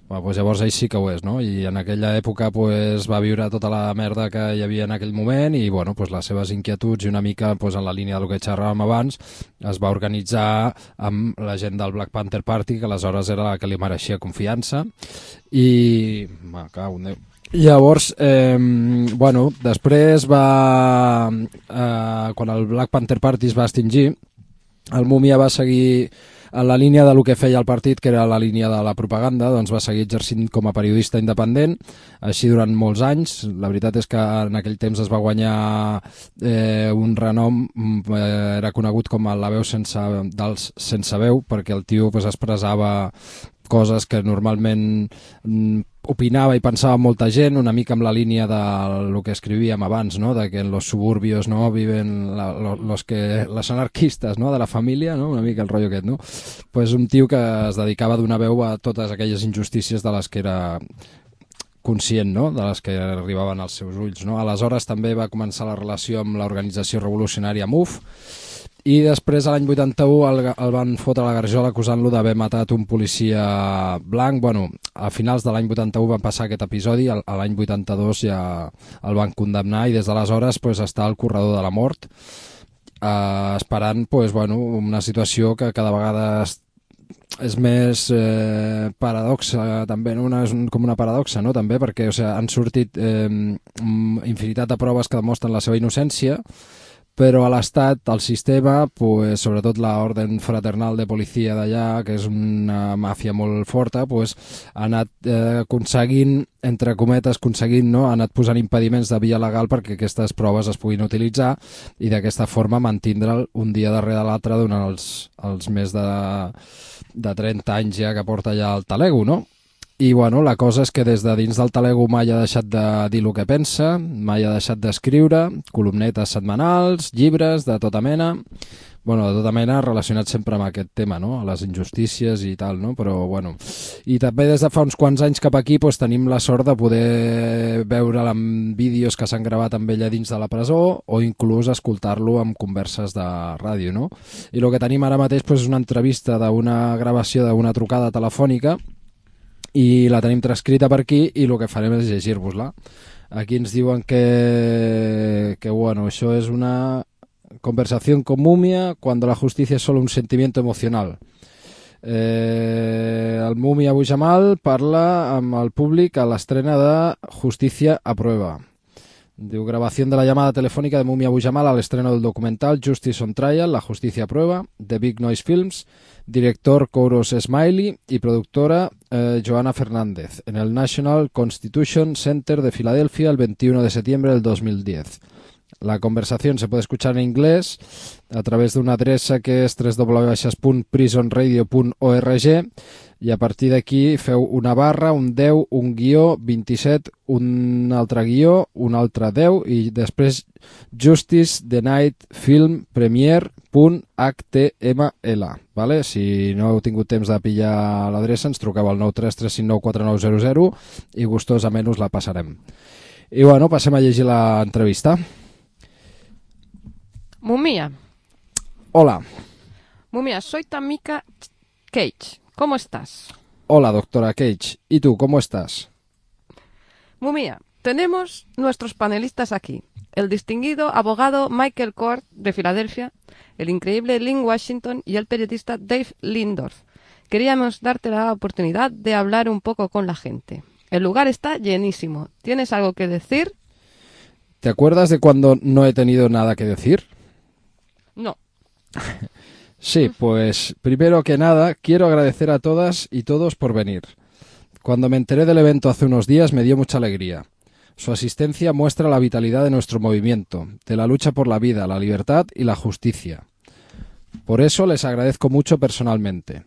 Bueno, doncs llavors ell sí que ho és, no? I en aquella època pues, va viure tota la merda que hi havia en aquell moment i bueno, pues, les seves inquietuds i una mica pues, en la línia del que xerràvem abans es va organitzar amb la gent del Black Panther Party, que aleshores era la que li mereixia confiança i... Llavors, bueno, després va... quan el Black Panther Party es va extingir, el Múmia va seguir en la línia de lo que feia el partit, que era la línia de la propaganda, doncs va seguir exercint com a periodista independent, així durant molts anys. La veritat és que en aquell temps es va guanyar un renom, era conegut com la veu dels sense veu, perquè el tio pues, expressava coses que normalment opinava i pensava molta gent, una mica amb la línia del que escrivíem abans, no? De que en los suburbios no viven los anarquistes, no? De la família, no? Una mica el rotllo aquest, no? Pues un tio que es dedicava a donar veu a totes aquelles injustícies de les que era conscient, no? De les que arribaven als seus ulls, no? Aleshores també va començar la relació amb l'organització revolucionària MUF, i després a l'any 81 el van fotre a la garjola acusant-lo d'haver matat un policia blanc. Bueno, a finals de l'any 81 van passar aquest episodi, a l'any 82 ja el van condemnar i des d'aleshores pues, està al corredor de la mort, esperant pues, bueno, una situació que cada vegada és més paradoxa també, no? És com una paradoxa, no? També perquè o sigui, han sortit infinitat de proves que demostren la seva innocència, però a l'Estat, al sistema, pues, sobretot l'Orden Fraternal de Policia d'allà, que és una màfia molt forta, pues, ha anat aconseguint, entre cometes, no? Ha anat posant impediments de via legal perquè aquestes proves es puguin utilitzar i d'aquesta forma mantindre'l un dia darrere l'altre durant els més de 30 anys ja que porta ja el talego, no? I bueno, la cosa és que des de dins del talego mai ha deixat de dir el que pensa, mai ha deixat d'escriure, columnetes setmanals, llibres de tota mena, bueno, de tota mena relacionat sempre amb aquest tema, no? A les injustícies i tal, no? Però bueno, i també des de fa uns quants anys cap aquí pues, tenim la sort de poder veure'l en vídeos que s'han gravat amb ella dins de la presó o inclús escoltar-lo amb converses de ràdio, no? I el que tenim ara mateix pues, és una entrevista d'una gravació d'una trucada telefònica i la tenim transcrita per aquí i el que farem és llegir-vos-la. Aquí ens diuen que bueno, això és una conversación con Múmia cuando la justicia es solo un sentimiento emocional. El Múmia Abu Jamal parla amb el públic a l'estrena de Justicia a Prueba. Diu, grabación de la llamada telefónica de Múmia Abu Jamal al estreno del documental Justice on Trial, La Justicia a Prueba, de Big Noise Films, director Kouros Smiley y productora Joana Fernández, en el National Constitution Center de Filadelfia el 21 de septiembre del 2010. La conversación se puede escuchar en inglés a través de una adreça que és www.prisonradio.org i a partir d'aquí feu una barra, un 10, un guió, 27, un altre guió, un altre 10 i després Justice the Night Film Premiere.html. Vale? Si no heu tingut temps de pillar l'adreça, ens truqueu al 933594900 i gustosament us la passarem. I bueno, passem a llegir l'entrevista. Múmia. Hola. Múmia, soy tu amiga Cage. ¿Cómo estás? Hola, doctora Cage. ¿Y tú, cómo estás? Múmia, tenemos nuestros panelistas aquí. El distinguido abogado Michael Kort, de Filadelfia, el increíble Lynn Washington y el periodista Dave Lindorf. Queríamos darte la oportunidad de hablar un poco con la gente. El lugar está llenísimo. ¿Tienes algo que decir? ¿Te acuerdas de cuando no he tenido nada que decir? No. Sí, pues primero que nada quiero agradecer a todas y todos por venir. Cuando me enteré del evento hace unos días me dio mucha alegría. Su asistencia muestra la vitalidad de nuestro movimiento, de la lucha por la vida, la libertad y la justicia. Por eso les agradezco mucho personalmente.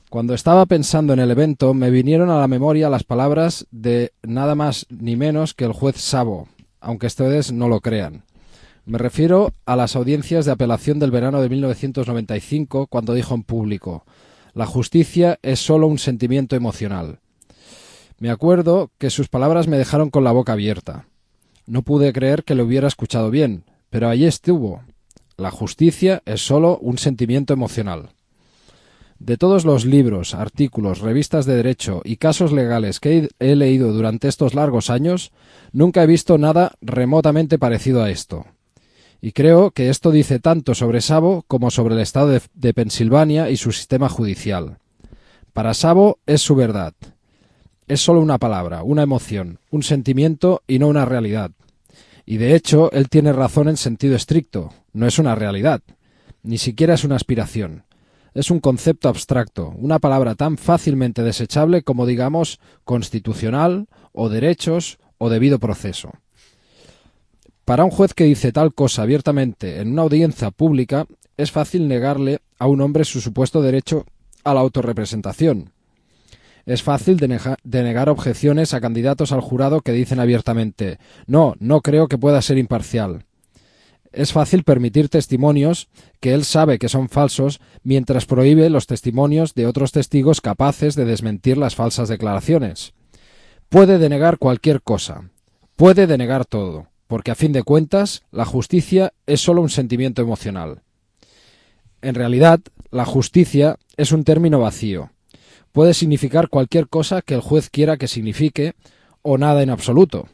Cuando estaba pensando en el evento me vinieron a la memoria las palabras de nada más ni menos que el juez Szabo, aunque ustedes no lo crean. Me refiero a las audiencias de apelación del verano de 1995, cuando dijo en público: La justicia es solo un sentimiento emocional. Me acuerdo que sus palabras me dejaron con la boca abierta. No pude creer que lo hubiera escuchado bien, pero allí estuvo. La justicia es solo un sentimiento emocional. De todos los libros, artículos, revistas de derecho y casos legales que he leído durante estos largos años, nunca he visto nada remotamente parecido a esto. Y creo que esto dice tanto sobre Szabo como sobre el estado de Pensilvania y su sistema judicial. Para Szabo es su verdad. Es solo una palabra, una emoción, un sentimiento y no una realidad. Y de hecho, él tiene razón en sentido estricto. No es una realidad. Ni siquiera es una aspiración. Es un concepto abstracto, una palabra tan fácilmente desechable como, digamos, constitucional, o derechos, o debido proceso. Para un juez que dice tal cosa abiertamente en una audiencia pública, es fácil negarle a un hombre su supuesto derecho a la autorrepresentación. Es fácil denegar objeciones a candidatos al jurado que dicen abiertamente «No creo que pueda ser imparcial». Es fácil permitir testimonios que él sabe que son falsos mientras prohíbe los testimonios de otros testigos capaces de desmentir las falsas declaraciones. Puede denegar cualquier cosa, puede denegar todo, porque a fin de cuentas la justicia es solo un sentimiento emocional. En realidad, la justicia es un término vacío. Puede significar cualquier cosa que el juez quiera que signifique o nada en absoluto,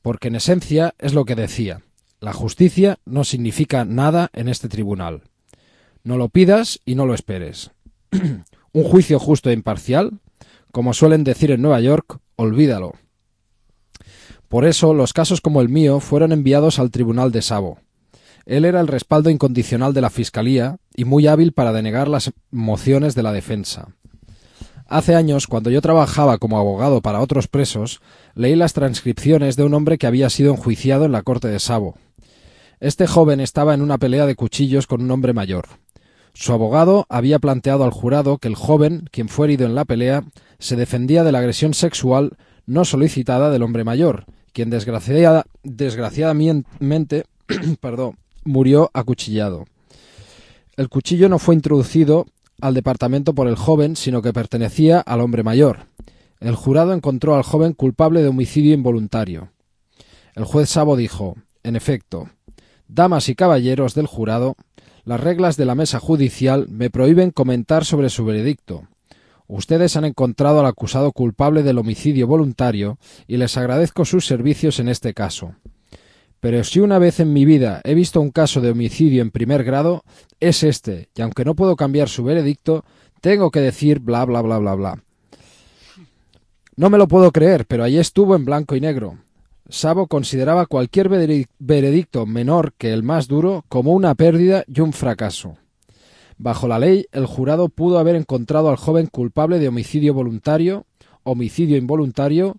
porque en esencia es lo que decía. La justicia no significa nada en este tribunal. No lo pidas y no lo esperes. Un juicio justo e imparcial, como suelen decir en Nueva York, olvídalo. Por eso, los casos como el mío fueron enviados al tribunal de Szabo. Él era el respaldo incondicional de la Fiscalía y muy hábil para denegar las mociones de la defensa. Hace años, cuando yo trabajaba como abogado para otros presos, leí las transcripciones de un hombre que había sido enjuiciado en la corte de Szabo. Este joven estaba en una pelea de cuchillos con un hombre mayor. Su abogado había planteado al jurado que el joven, quien fue herido en la pelea, se defendía de la agresión sexual no solicitada del hombre mayor, quien desgraciadamente murió acuchillado. El cuchillo no fue introducido al departamento por el joven, sino que pertenecía al hombre mayor. El jurado encontró al joven culpable de homicidio involuntario. El juez Szabo dijo, en efecto, damas y caballeros del jurado, las reglas de la mesa judicial me prohíben comentar sobre su veredicto. Ustedes han encontrado al acusado culpable del homicidio voluntario y les agradezco sus servicios en este caso. Pero si una vez en mi vida he visto un caso de homicidio en primer grado, es este, y aunque no puedo cambiar su veredicto, tengo que decir bla bla bla bla bla. No me lo puedo creer, pero allí estuvo en blanco y negro. Szabo consideraba cualquier veredicto menor que el más duro como una pérdida y un fracaso. Bajo la ley, el jurado pudo haber encontrado al joven culpable de homicidio voluntario, homicidio involuntario,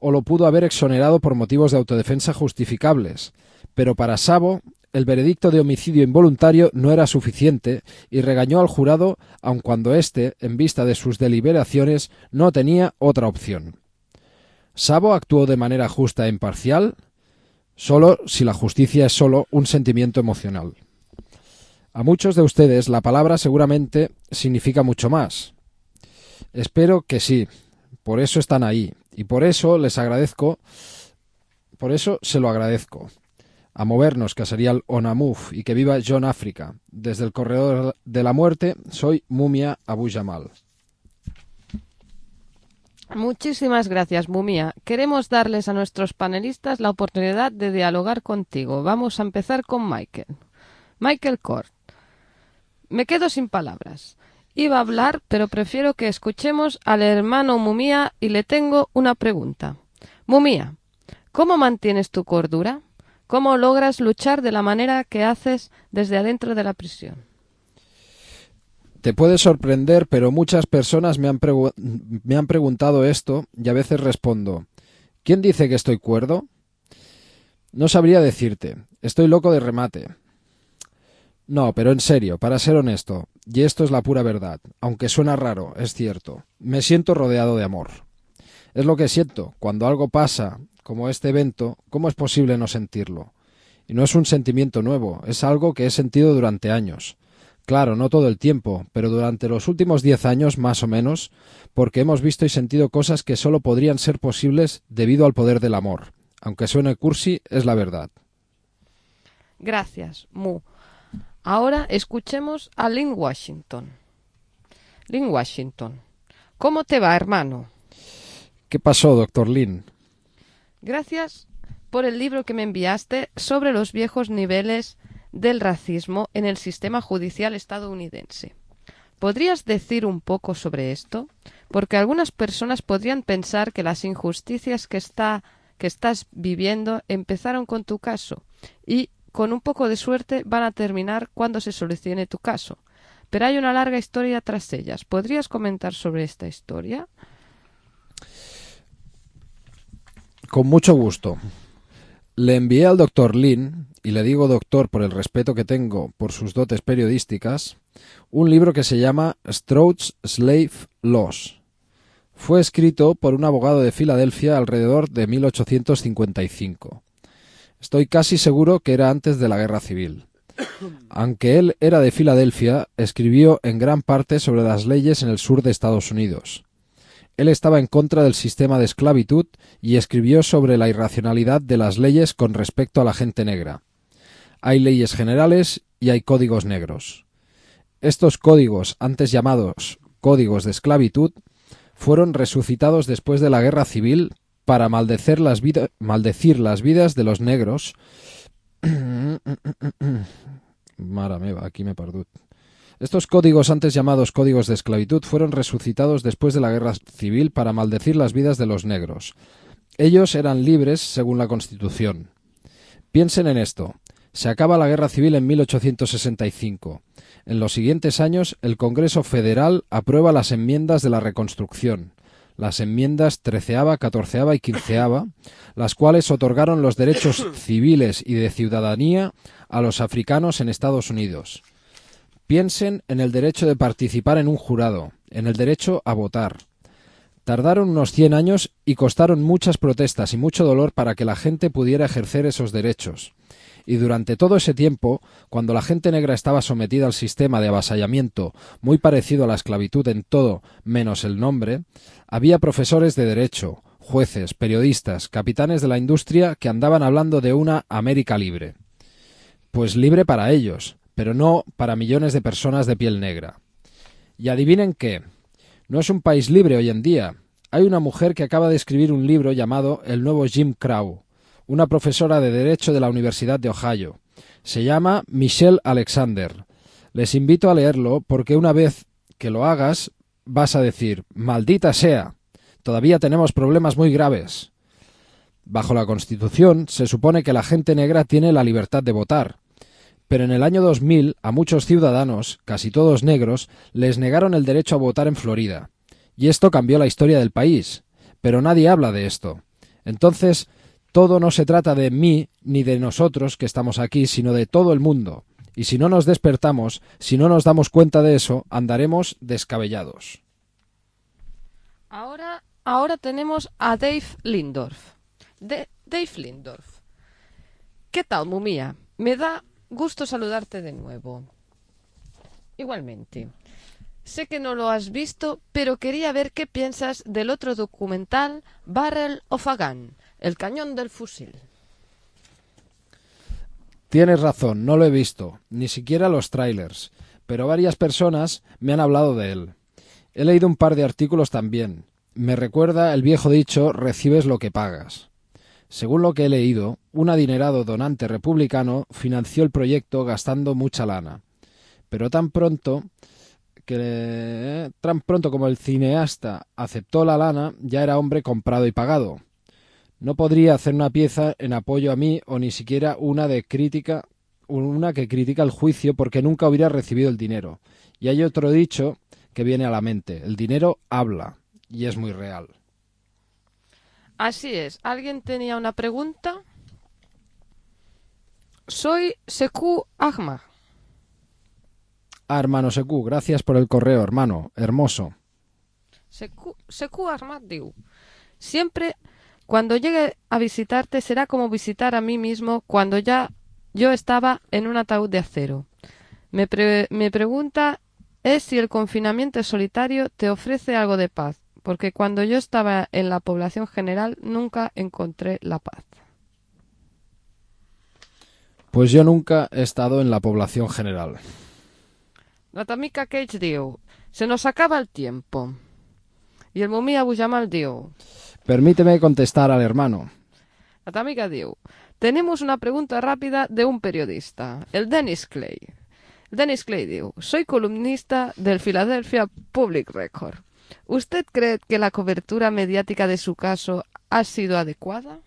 o lo pudo haber exonerado por motivos de autodefensa justificables. Pero para Szabo, el veredicto de homicidio involuntario no era suficiente y regañó al jurado aun cuando éste, en vista de sus deliberaciones, no tenía otra opción. ¿Szabo actuó de manera justa e imparcial? Solo si la justicia es solo un sentimiento emocional. A muchos de ustedes la palabra seguramente significa mucho más. Espero que sí. Por eso están ahí. Y por eso les agradezco, por eso se lo agradezco. A movernos, que sería el Onamuf, y que viva John África. Desde el corredor de la muerte, soy Mumia Abu Jamal. Muchísimas gracias, Mumia. Queremos darles a nuestros panelistas la oportunidad de dialogar contigo. Vamos a empezar con Michael. Michael Kort. Me quedo sin palabras. Iba a hablar, pero prefiero que escuchemos al hermano Mumia y le tengo una pregunta. Mumia, ¿cómo mantienes tu cordura? ¿Cómo logras luchar de la manera que haces desde adentro de la prisión? Te puede sorprender, pero muchas personas me han preguntado esto y a veces respondo, ¿quién dice que estoy cuerdo? No sabría decirte, estoy loco de remate. No, pero en serio, para ser honesto, y esto es la pura verdad, aunque suena raro, es cierto, me siento rodeado de amor. Es lo que siento, cuando algo pasa, como este evento, ¿cómo es posible no sentirlo? Y no es un sentimiento nuevo, es algo que he sentido durante años. Claro, no todo el tiempo, pero durante los últimos 10 años, más o menos, porque hemos visto y sentido cosas que solo podrían ser posibles debido al poder del amor. Aunque suene cursi, es la verdad. Gracias, Mu. Ahora escuchemos a Lynn Washington. Lynn Washington, ¿cómo te va, hermano? ¿Qué pasó, doctor Lynn? Gracias por el libro que me enviaste sobre los viejos niveles del racismo en el sistema judicial estadounidense. ¿Podrías decir un poco sobre esto? Porque algunas personas podrían pensar que las injusticias que estás viviendo empezaron con tu caso y, con un poco de suerte, van a terminar cuando se solucione tu caso. Pero hay una larga historia tras ellas. ¿Podrías comentar sobre esta historia? Con mucho gusto. Le envié al doctor Lynn, y le digo doctor por el respeto que tengo por sus dotes periodísticas, un libro que se llama Stroud's Slave Laws. Fue escrito por un abogado de Filadelfia alrededor de 1855. Estoy casi seguro que era antes de la Guerra Civil. Aunque él era de Filadelfia, escribió en gran parte sobre las leyes en el sur de Estados Unidos. Él estaba en contra del sistema de esclavitud y escribió sobre la irracionalidad de las leyes con respecto a la gente negra. Hay leyes generales y hay códigos negros. Estos códigos, antes llamados códigos de esclavitud, fueron resucitados después de la Guerra Civil para maldecir las vidas de los negros. Mare meva, aquí me he perdut. Estos códigos, antes llamados códigos de esclavitud, fueron resucitados después de la Guerra Civil para maldecir las vidas de los negros. Ellos eran libres según la Constitución. Piensen en esto. Se acaba la Guerra Civil en 1865. En los siguientes años, el Congreso Federal aprueba las enmiendas de la Reconstrucción, las enmiendas 13ª, 14ª y 15ª, las cuales otorgaron los derechos civiles y de ciudadanía a los africanos en Estados Unidos. Piensen en el derecho de participar en un jurado, en el derecho a votar. Tardaron unos 100 años y costaron muchas protestas y mucho dolor para que la gente pudiera ejercer esos derechos. Y durante todo ese tiempo, cuando la gente negra estaba sometida al sistema de avasallamiento muy parecido a la esclavitud en todo menos el nombre, había profesores de derecho, jueces, periodistas, capitanes de la industria que andaban hablando de una América libre. Pues libre para ellos, pero no para millones de personas de piel negra. Y adivinen qué, no es un país libre hoy en día. Hay una mujer que acaba de escribir un libro llamado El nuevo Jim Crow, una profesora de Derecho de la Universidad de Ohio. Se llama Michelle Alexander. Les invito a leerlo porque una vez que lo hagas vas a decir, maldita sea, todavía tenemos problemas muy graves. Bajo la Constitución se supone que la gente negra tiene la libertad de votar. Pero en el año 2000 a muchos ciudadanos, casi todos negros, les negaron el derecho a votar en Florida. Y esto cambió la historia del país. Pero nadie habla de esto. Entonces, todo no se trata de mí ni de nosotros que estamos aquí, sino de todo el mundo. Y si no nos despertamos, si no nos damos cuenta de eso, andaremos descabellados. Ahora tenemos a Dave Lindorf. Dave Lindorf. ¿Qué tal, Mumia? Me da gusto saludarte de nuevo. Igualmente. Sé que no lo has visto, pero quería ver qué piensas del otro documental Barrel of a Gun, el cañón del fusil. Tienes razón, no lo he visto, ni siquiera los trailers, pero varias personas me han hablado de él. He leído un par de artículos también. Me recuerda el viejo dicho, recibes lo que pagas. Según lo que he leído, un adinerado donante republicano financió el proyecto gastando mucha lana. Pero tan pronto como el cineasta aceptó la lana, ya era hombre comprado y pagado. No podría hacer una pieza en apoyo a mí o ni siquiera una que critica el juicio porque nunca hubiera recibido el dinero. Y hay otro dicho que viene a la mente, el dinero habla, y es muy real. Así es. ¿Alguien tenía una pregunta? Soy Sekou Ahmad. Hermano Sekou, gracias por el correo, hermano. Hermoso. Sekou Ahmad diu, siempre cuando llegue a visitarte será como visitar a mí mismo cuando ya yo estaba en un ataúd de acero. Me pregunta es si el confinamiento solitario te ofrece algo de paz, porque cuando yo estaba en la población general nunca encontré la paz. Pues yo nunca he estado en la población general. La tamica Cage diu, se nos acaba el tiempo. Y el Mumia Bujamal diu, permíteme contestar al hermano. La tamica diu, tenemos una pregunta rápida de un periodista, el Dennis Clay. Dennis Clay diu, soy columnista del Philadelphia Public Record. ¿Usted cree que la cobertura mediática de su caso ha sido adecuada?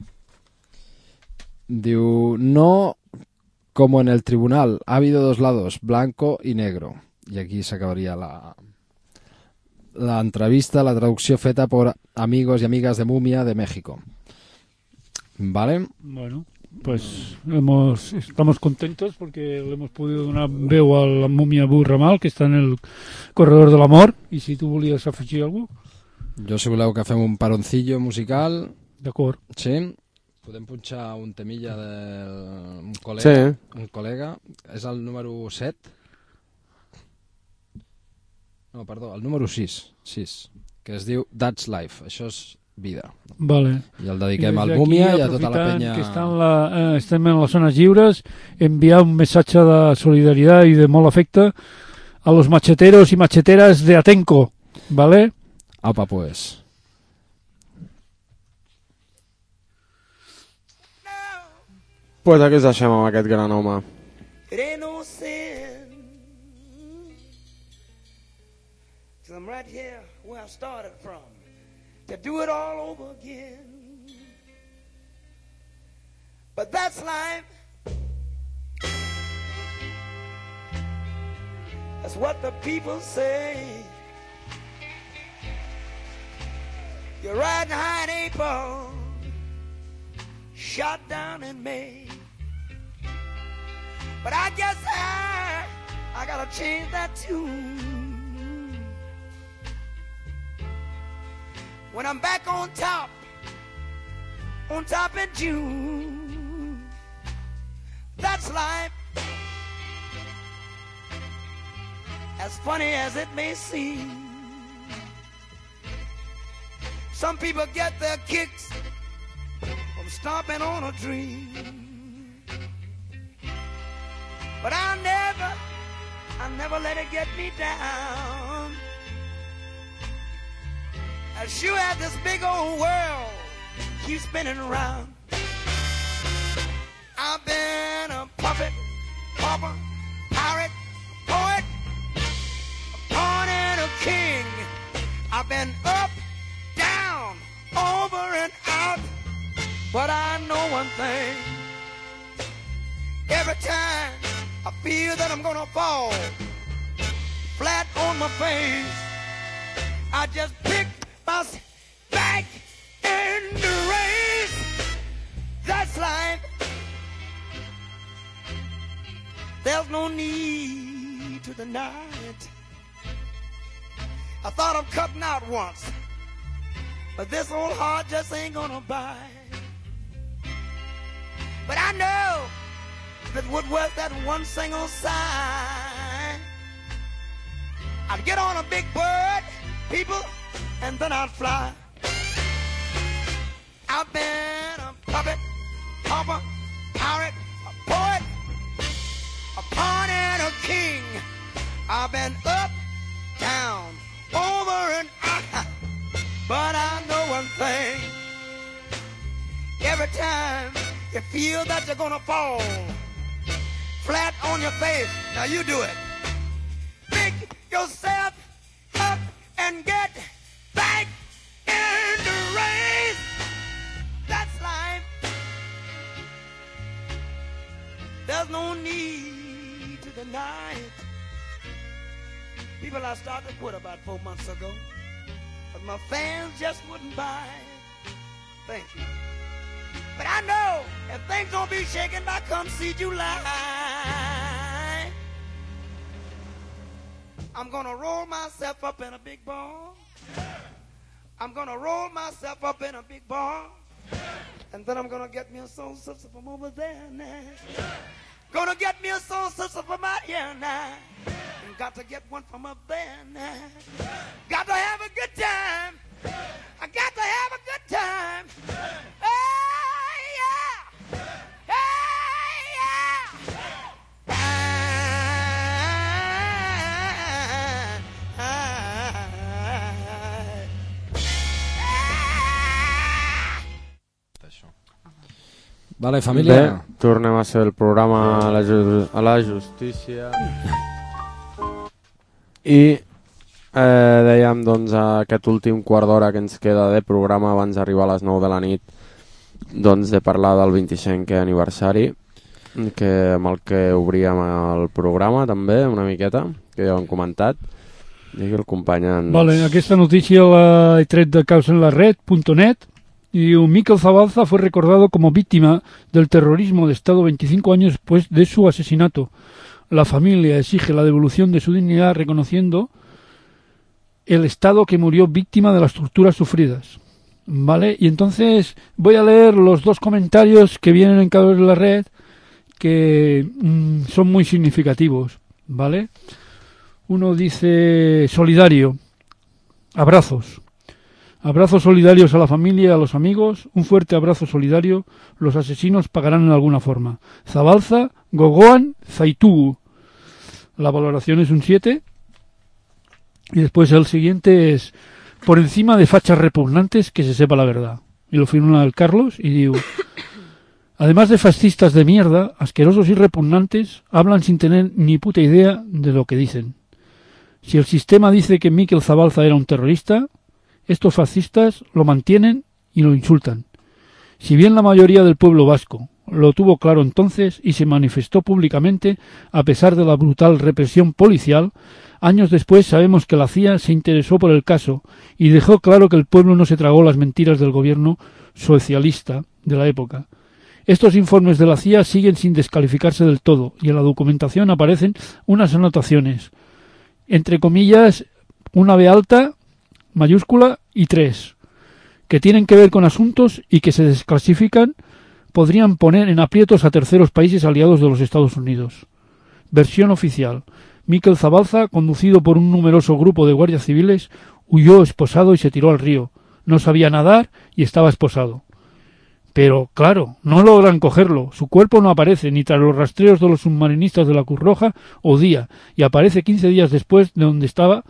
Diu, no como en el tribunal. Ha habido dos lados, blanco y negro. Y aquí se acabaría la entrevista, la traducción feta por amigos y amigas de Mumia de México. ¿Vale? Bueno, pues estamos contentos porque le hemos podido donar veu a la Múmia Abu Ramal, que està en el corredor de l'amor, i si tu volies afegir alguna cosa. Jo, si voleu que fem un paroncillo musical... D'acord. Sí. Podem punxar un temilla d'un col·lega. Sí. Un col·lega. És el número 7. No, perdó, el número 6, que es diu That's Life, això és vida. Vale. I el dediquem al Múmia i a tota la penya... Que estem en les zones lliures, enviar un missatge de solidaritat i de molt afecte a los macheteros y macheteras de Atenco, ¿vale? Apa, pues. Pues aquí ens deixem amb aquest gran home. It ain't no sin, 'cause I'm right here where I started from, to do it all over again. But that's life. That's what the people say. You're riding high in April, shot down in May. But I guess I gotta change that tune. When I'm back on top in June, that's life. As funny as it may seem, some people get their kicks from stomping on a dream. But I'll never let it get me down. As sure as this big old world keeps spinning around, I've been a puppet, pauper, pirate, a poet, a pawn and a king. I've been up, down, over and out. But I know one thing, every time I feel that I'm gonna fall flat on my face, I just pick myself back in the race. That's life. There's no need to deny it. I thought of cutting out once, but this old heart just ain't gonna bite. But I know if it would worth that one single sign, I'd get on a big bird, people, and then I'd fly. I've been a puppet, pauper, pirate, a poet, a pawn and a king. I've been up, down, over and out. But I know one thing, every time you feel that you're gonna fall flat on your face, now you do it. Pick yourself up and get back in the race. That's life. There's no need to deny it. People, I started to quit about 4 months ago, but my fans just wouldn't buy it. Thank you. But I know if things don't be shaken by come see July, I'm gonna roll myself up in a big ball. I'm gonna roll myself up in a big ball. And then I'm gonna get me a soul sister from over there now. Gonna get me a soul sister for my ear now. Got to get one from up there now. Got to have a good time. I got to have a good time. Hey, yeah. Hey, yeah. Vale, família. Bé, tornem a ser el programa a la justícia. I dèiem, doncs, aquest últim quart d'hora que ens queda de programa abans d'arribar a les 9 de la nit, doncs, de parlar del 25è aniversari, que amb el que obríem el programa també, una miqueta, que ja ho hem comentat. Digui el company en... Vale, aquesta notícia l'he tret de causenlared.net y Mikel Zabalza fue recordado como víctima del terrorismo de Estado 25 años después de su asesinato. La familia exige la devolución de su dignidad reconociendo el Estado que murió víctima de las torturas sufridas. ¿Vale? Y entonces voy a leer los dos comentarios que vienen en Caos en la Red que son muy significativos. ¿Vale? Uno dice: solidario, abrazos. Abrazos solidarios a la familia y a los amigos, un fuerte abrazo solidario, los asesinos pagarán en alguna forma. Zabalza, Gogoan, Zaitugu. La valoración es un 7. Y después el siguiente es: por encima de fachas repugnantes, que se sepa la verdad. Y lo firma el Carlos y digo: además de fascistas de mierda, asquerosos y repugnantes, hablan sin tener ni puta idea de lo que dicen. Si el sistema dice que Mikel Zabalza era un terrorista, estos fascistas lo mantienen y lo insultan. Si bien la mayoría del pueblo vasco lo tuvo claro entonces y se manifestó públicamente a pesar de la brutal represión policial, años después sabemos que la CIA se interesó por el caso y dejó claro que el pueblo no se tragó las mentiras del gobierno socialista de la época. Estos informes de la CIA siguen sin descalificarse del todo y en la documentación aparecen unas anotaciones, entre comillas, una B alta, mayúscula y 3, que tienen que ver con asuntos y que se desclasifican, podrían poner en aprietos a terceros países aliados de los Estados Unidos. Versión oficial: Mikel Zabalza, conducido por un numeroso grupo de guardias civiles, huyó esposado y se tiró al río. No sabía nadar y estaba esposado. Pero, claro, no logran cogerlo. Su cuerpo no aparece ni tras los rastreos de los submarinistas de la Cruz Roja o Día, y aparece 15 días después de donde estaba,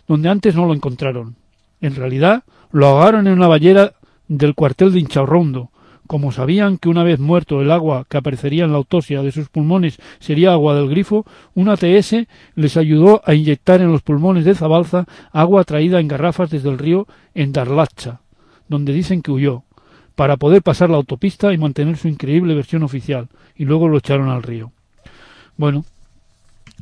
donde antes no lo encontraron. En realidad, lo ahogaron en una ballera del cuartel de Inchaurrondo. Como sabían que una vez muerto el agua que aparecería en la autopsia de sus pulmones sería agua del grifo, un ATS les ayudó a inyectar en los pulmones de Zabalza agua traída en garrafas desde el río en Darlacha, donde dicen que huyó, para poder pasar la autopista y mantener su increíble versión oficial, y luego lo echaron al río. Bueno,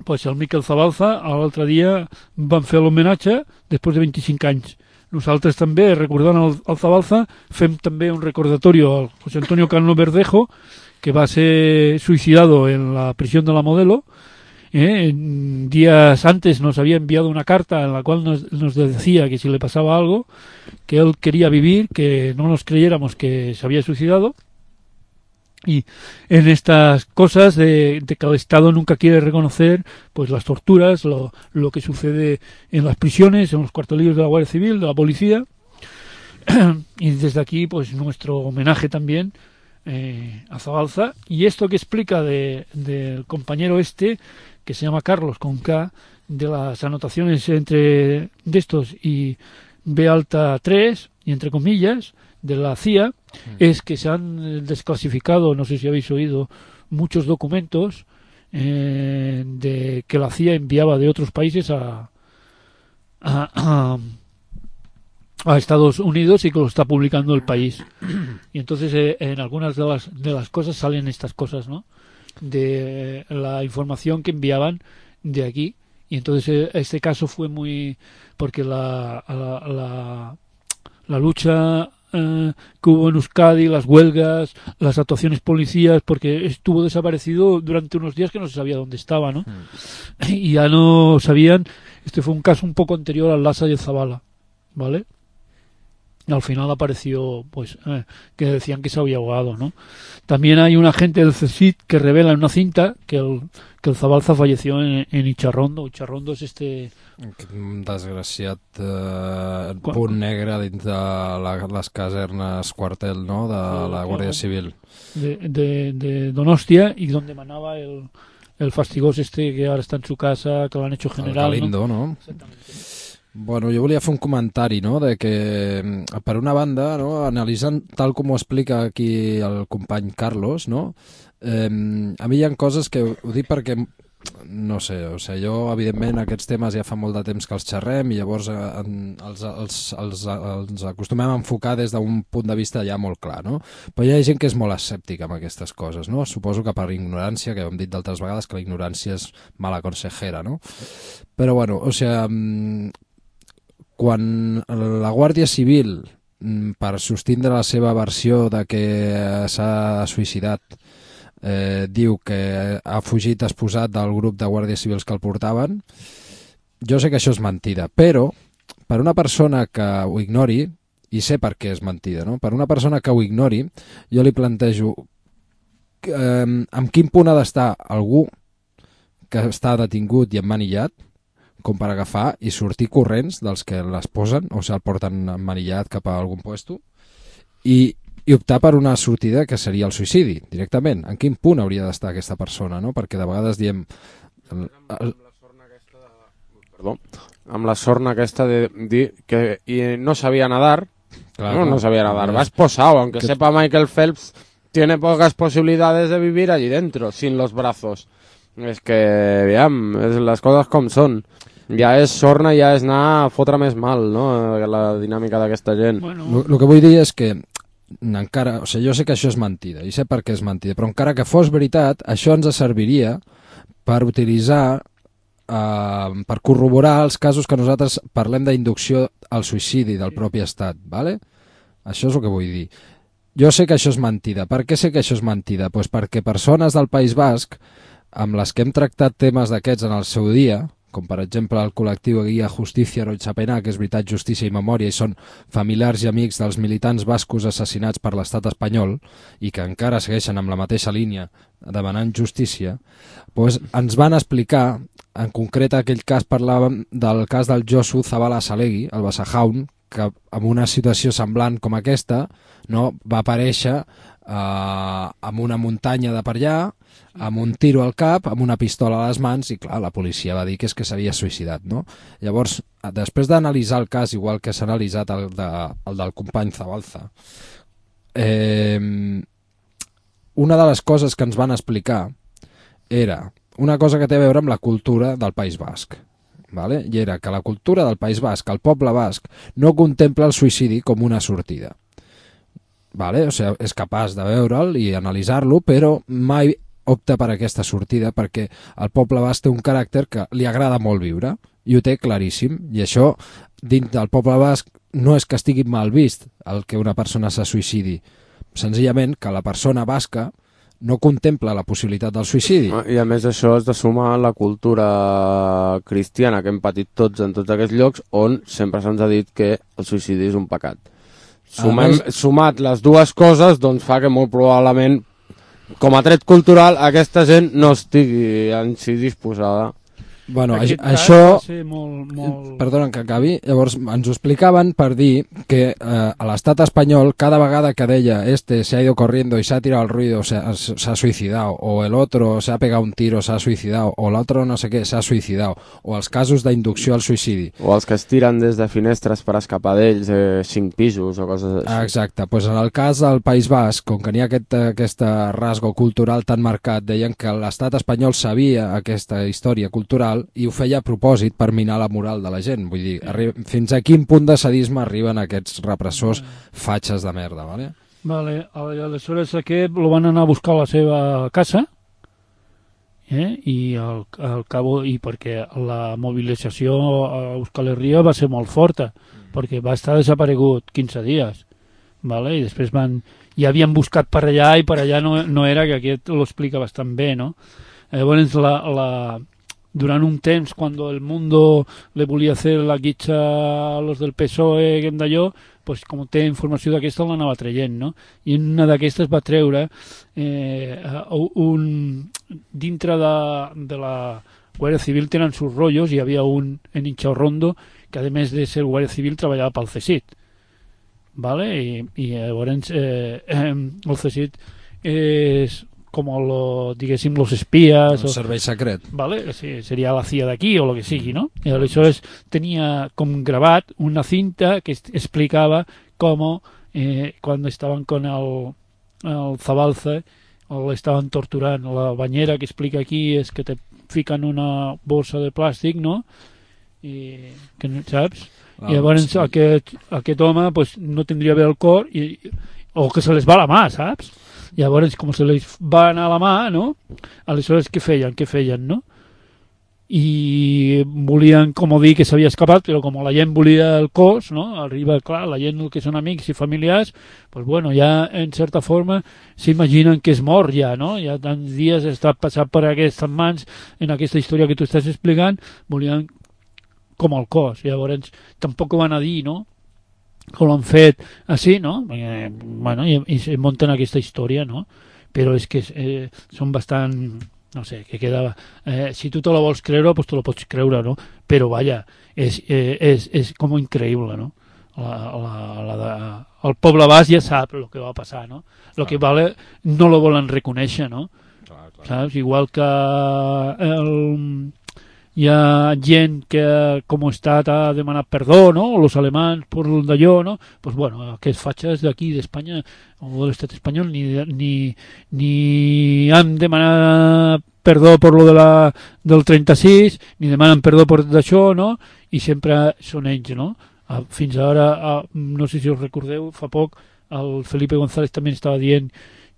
pues el Mikel Zabalza l'altre dia van fer l'homenatge després de 25 anys. Nosaltres també, recordant el Zabalza, fem també un recordatori al José Antonio Cano Verdejo, que va ser suicidado en la prisión de la Modelo. Días antes nos había enviado una carta en la cual nos decía que si le pasaba algo, que él quería vivir, que no nos creyéramos que se había suicidado. Y en estas cosas de que el Estado nunca quiere reconocer pues las torturas, lo que sucede en las prisiones, en los cuartelillos de la Guardia Civil, de la policía, y desde aquí pues nuestro homenaje también a Zabalza. Y esto que explica del compañero que se llama Carlos con K, de las anotaciones entre de estos y B alta 3 y entre comillas de la CIA, es que se han desclasificado, no sé si habéis oído, muchos documentos de que la CIA enviaba de otros países a Estados Unidos y que lo está publicando el país. Y entonces en algunas de las cosas salen estas cosas, ¿no? De la información que enviaban de aquí. Y entonces este caso fue muy... porque la lucha que hubo en Euskadi, las huelgas, las actuaciones policías, porque estuvo desaparecido durante unos días que no se sabía dónde estaba, ¿no? Y ya no sabían. Este fue un caso un poco anterior al Lhasa y el Zabala, ¿vale? y al final apareció pues que decían que se había ahogado, ¿no? También hay un agente del CSIC que revela en una cinta que el Zabalza falleció en Icharrondo. Icharrondo es un desgraciat punt negre dins de les casernes quartel, no?, de la Guàrdia Civil. De Donostia, y donde manaba el fastigoso que ahora está en su casa, que lo han hecho general. El Galindo, ¿no? Exactamente. Bueno, jo volia fer un comentari, no?, de que, per una banda, no?, analitzant tal com ho explica aquí el company Carlos, no?, a mi hi ha coses que ho dic perquè, no sé, o sigui, jo, evidentment, aquests temes ja fa molt de temps que els xerrem i llavors els acostumem a enfocar des d'un punt de vista ja molt clar, no? Però hi ha gent que és molt escèptica amb aquestes coses, no? Suposo que per ignorància, que hem dit d'altres vegades que la ignorància és mala consejera, no? Però, bueno, o sigui, quan la Guàrdia Civil, per sostindre la seva versió de que s'ha suïcidat, diu que ha fugit esposat del grup de guàrdies civils que el portaven, jo sé que això és mentida, però per una persona que ho ignori, i sé per què és mentida, no? Per una persona que ho ignori, jo li plantejo en quin punt ha d'estar algú que està detingut i emmanillat com per agafar i sortir corrents dels que les posen, o sigui, el porten emmanillat cap a algun puesto, i optar per una sortida que seria el suïcidi, directament. En quin punt hauria d'estar aquesta persona, no? Perquè de vegades diem... Amb la sorna aquesta de dir que no sabía nadar, claro, no sabía nadar, va esposado, aunque sepa Michael Phelps, tiene pocas posibilidades de vivir allí dentro, sin los brazos. Es que, veam, les coses com són. Ja és sorna, ja és anar a fotre més mal, no?, la dinàmica d'aquesta gent. Bueno. El que vull dir és que encara, o sigui, jo sé que això és mentida i sé per què és mentida, però encara que fos veritat, això ens serviria per utilitzar, per corroborar els casos que nosaltres parlem d'inducció al suïcidi del propi estat, ¿vale? Això és el que vull dir. Jo sé que això és mentida. Per què sé que això és mentida? Pues perquè persones del País Basc, amb les que hem tractat temes d'aquests en el seu dia, com per exemple el col·lectiu Guia Justícia Roitzapená, que és Veritat, Justícia i Memòria, i són familiars i amics dels militants bascos assassinats per l'estat espanyol i que encara segueixen amb la mateixa línia demanant justícia, doncs ens van explicar, en concret aquell cas parlàvem del cas del Josu Zabala Salegui, el Basajaun, que en una situació semblant com aquesta, no, va aparèixer en una muntanya de per allà, amb un tiro al cap, amb una pistola a les mans, i clar, la policia va dir que és que s'havia suïcidat, no? Llavors, després d'analitzar el cas, igual que s'ha analitzat el del company Zabalza, una de les coses que ens van explicar era una cosa que té a veure amb la cultura del País Basc, ¿vale? I era que la cultura del País Basc, el poble basc, no contempla el suïcidi com una sortida. Vale? O sigui, és capaç de veure'l i analitzar-lo, però mai opta per aquesta sortida perquè el poble basc té un caràcter que li agrada molt viure i ho té claríssim, i això dins del poble basc no és que estigui mal vist el que una persona se suïcidi, senzillament que la persona basca no contempla la possibilitat del suïcidi. I a més això és de sumar la cultura cristiana que hem patit tots en tots aquests llocs on sempre se'ns ha dit que el suïcidi és un pecat. Sumat les dues coses, doncs fa que molt probablement, com a tret cultural, aquesta gent no estigui en si disposada. Bueno, això... Perdona que acabi. Llavors ens ho explicaven per dir que a l'estat espanyol cada vegada que deia se ha ido corriendo y se ha tirado al ruido, se ha suicidado, o el otro se ha pegado un tiro, se ha suicidado, o l'altre no sé què, se ha suicidado, o els casos d'inducció al suïcidi. O els que es tiren des de finestres per escapar d'ells, 5 pisos o coses així. Exacte. Pues en el cas del País Basc, com que n'hi ha aquest rasgo cultural tan marcat, deien que l'estat espanyol sabia aquesta història cultural i ho feia a propòsit per minar la moral de la gent. Vull dir, fins a quin punt de sadisme arriben aquests repressors fatxes de merda, ¿vale? Vale, aleshores aquest lo van anar a buscar a la seva casa i al cabo, i perquè la mobilització a Euskal Herria va ser molt forta, perquè va estar desaparegut 15 dies, vale? I després ja havien buscat per allà i per allà no era, que aquest ho explica bastant bé, no? Llavors durant un temps, quan el Mundo le volia fer la guitxa a los del PSOE, d'allò, pues, com té informació d'aquesta l'anava traient, no? I en una d'aquestes va treure dintre de la Guàrdia Civil tenen sus rotllos, hi havia un en Inchaurrondo que a més de ser Guàrdia Civil treballava pel CSIC, ¿vale? I llavors el CSIC és com diguéssim los espías, el servei secret, ¿vale? Sí, sería la CIA d'aquí o lo que sigui, no? I aleshores tenia com gravat una cinta que explicava com cuando estaban con el Zabalza o le estaban torturando. La bañera que explica aquí es que te fican una bolsa de plàstic, no? I que no saps? I llavors aquest home pues, no tindria bé el cor o que se les va la mà, saps? Llavors, com se les va anar la mà, no? Aleshores, què feien, no? I volien, com dir, que s'havia escapat, però com la gent volia el cos, no? Arriba, clar, la gent que són amics i familiars, pues bueno, ja en certa forma s'imaginen que és mort ja, no? Ja tants dies està passat per aquestes mans en aquesta història que tu estàs explicant, volien com el cos. Llavors, tampoc ho van a dir, no? Com l'han fet així, no? Bueno, i se munten aquesta història, no? Però és que són bastant, no sé, que quedava... si tu te la vols creure, pues te la pots creure, no? Però, vaja, és com increïble, no? El poble basc ja sap el que va passar, no? El que vale no lo volen reconèixer, no? Saps? Igual que hi ha gent que com a estat ha demanat perdó, no? Los alemans per d'allò, no? Pues bueno, aquests fatxes d'aquí d'Espanya o de l'estat espanyol ni han demanat perdó per lo del 36, ni demanen perdó per d'això, no? I sempre són ells, no? Fins ara, no sé si us recordeu, fa poc el Felipe González també estava dient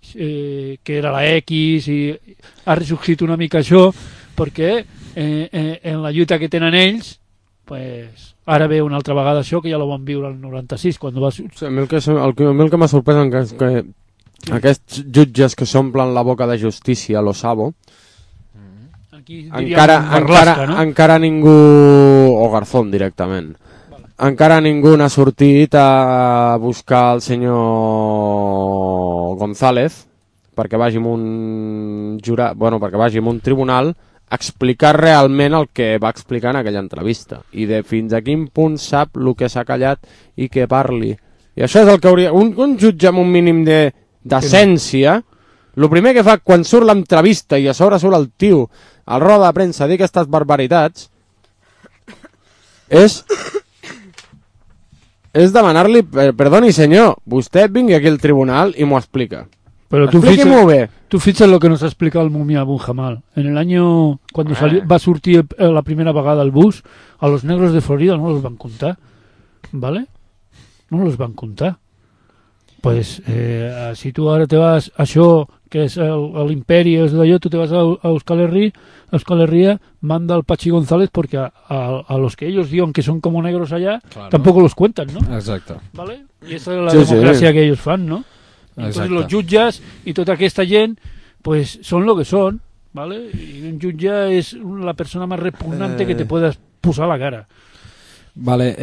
que era la X i ha ressorgit una mica això perquè en la lluita que tenen ells, pues, ara ve una altra vegada això que ja ho van viure al 96 quan va... Sí, a mi el que m'ha sorprès és que aquests jutges que s'omplen la boca de justícia, lo sabo, encara ningú, o Garzón directament, encara ningú n'ha sortit a buscar el senyor González perquè vagi amb un jurat, bueno, perquè vagi amb un tribunal a explicar realment el que va explicar en aquella entrevista i de fins a quin punt sap el que s'ha callat i que parli. I això és el que hauria... Un jutge amb un mínim de decència, el primer que fa quan surt l'entrevista i a sobre surt el tio al roda de premsa a dir aquestes barbaritats és demanar-li, perdoni senyor, vostè vingui aquí al tribunal i m'ho explica. Pero tú fixes lo que nos ha explicado el Mumia Abu Jamal. En el año, cuando va a surtir la primera vagada el bus, a los negros de Florida no los van contar, ¿vale? No los van contar. Pues si tú ahora te vas a això, que és l'imperi, és d'allò, tu te vas a Euskal Herria, manda al Pachi González porque a los que ellos digan que son como negros allá, claro, tampoco los cuentan, ¿no? Exacto. ¿Vale? Y esa es la democracia que ellos fan, ¿no? Entonces los jutges i tota aquesta gent pues son lo que son, ¿vale? Y un jutge és la persona más repugnante que te puedas posar a la cara. Vale,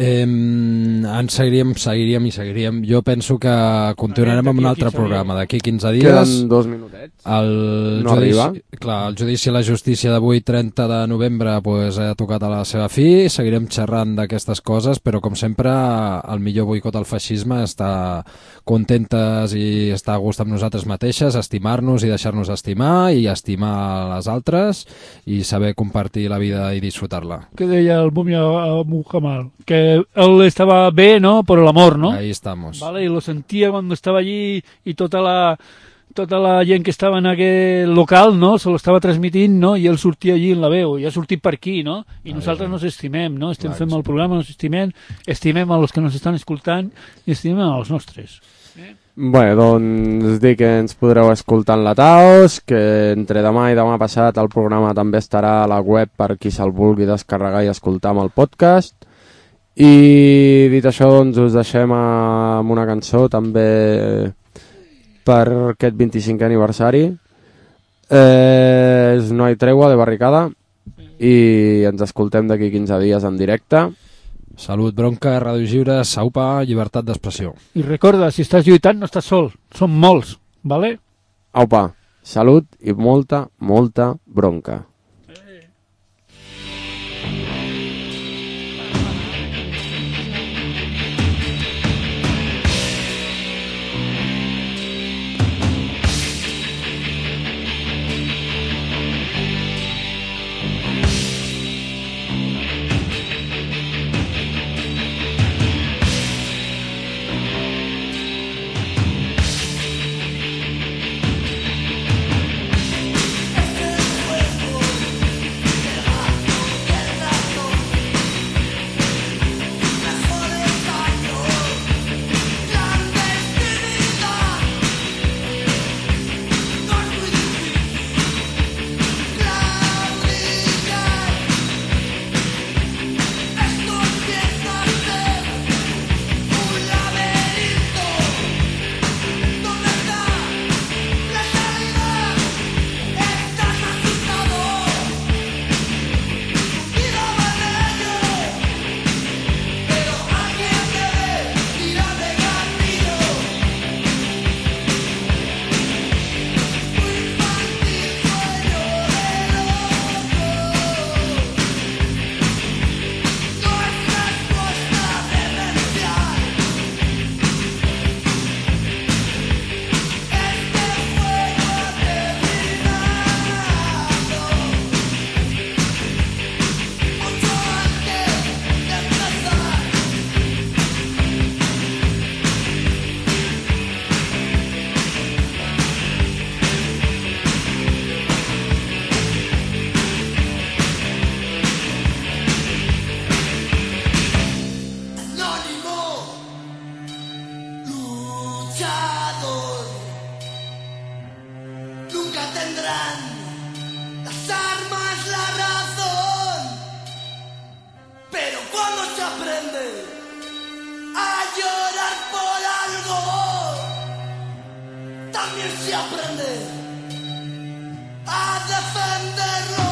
seguiríem. Jo penso que continuarem amb un altre programa d'aquí 15 dies. Queden 2 minutets. No arriba. Clar, el judici a la justícia d'avui, 30 de novembre, pues, ha tocat a la seva fi. Seguirem xerrant d'aquestes coses, però com sempre el millor boicot al feixisme és estar contentes i estar a gust amb nosaltres mateixes, estimar-nos i deixar-nos estimar i estimar les altres i saber compartir la vida i disfrutar-la. Què deia el Mumia Muhammad? Que él estaba bé, ¿no? Por el amor, ¿no? Ahí estamos. Vale, y lo sentía cuando estaba allí y tota la gent que estava en aquell local, no? Se lo estava transmitint, no? I ell sortia allí en la veu, i ha sortit per aquí, no? I nosaltres nos estimem, no? Estem fent el programa, nos estimem a los que nos estan escoltant i estimem a els nostres. Bé, doncs dic que ens podreu escoltar en la Taos, que entre demà i demà passat el programa també estarà a la web per qui se'l vulgui descarregar i escoltar amb el podcast. I dit això, doncs us deixem amb una cançó també per aquest 25è aniversari. És No hay tregua, de Barricada, i ens escoltem d'aquí 15 dies en directe. Salut, bronca, Ràdio Lliure, saupa, llibertat d'expressió. I recorda, si estàs lluitant no estàs sol, som molts, vale? Aupa, salut i molta, molta bronca. También se aprende a defenderlo.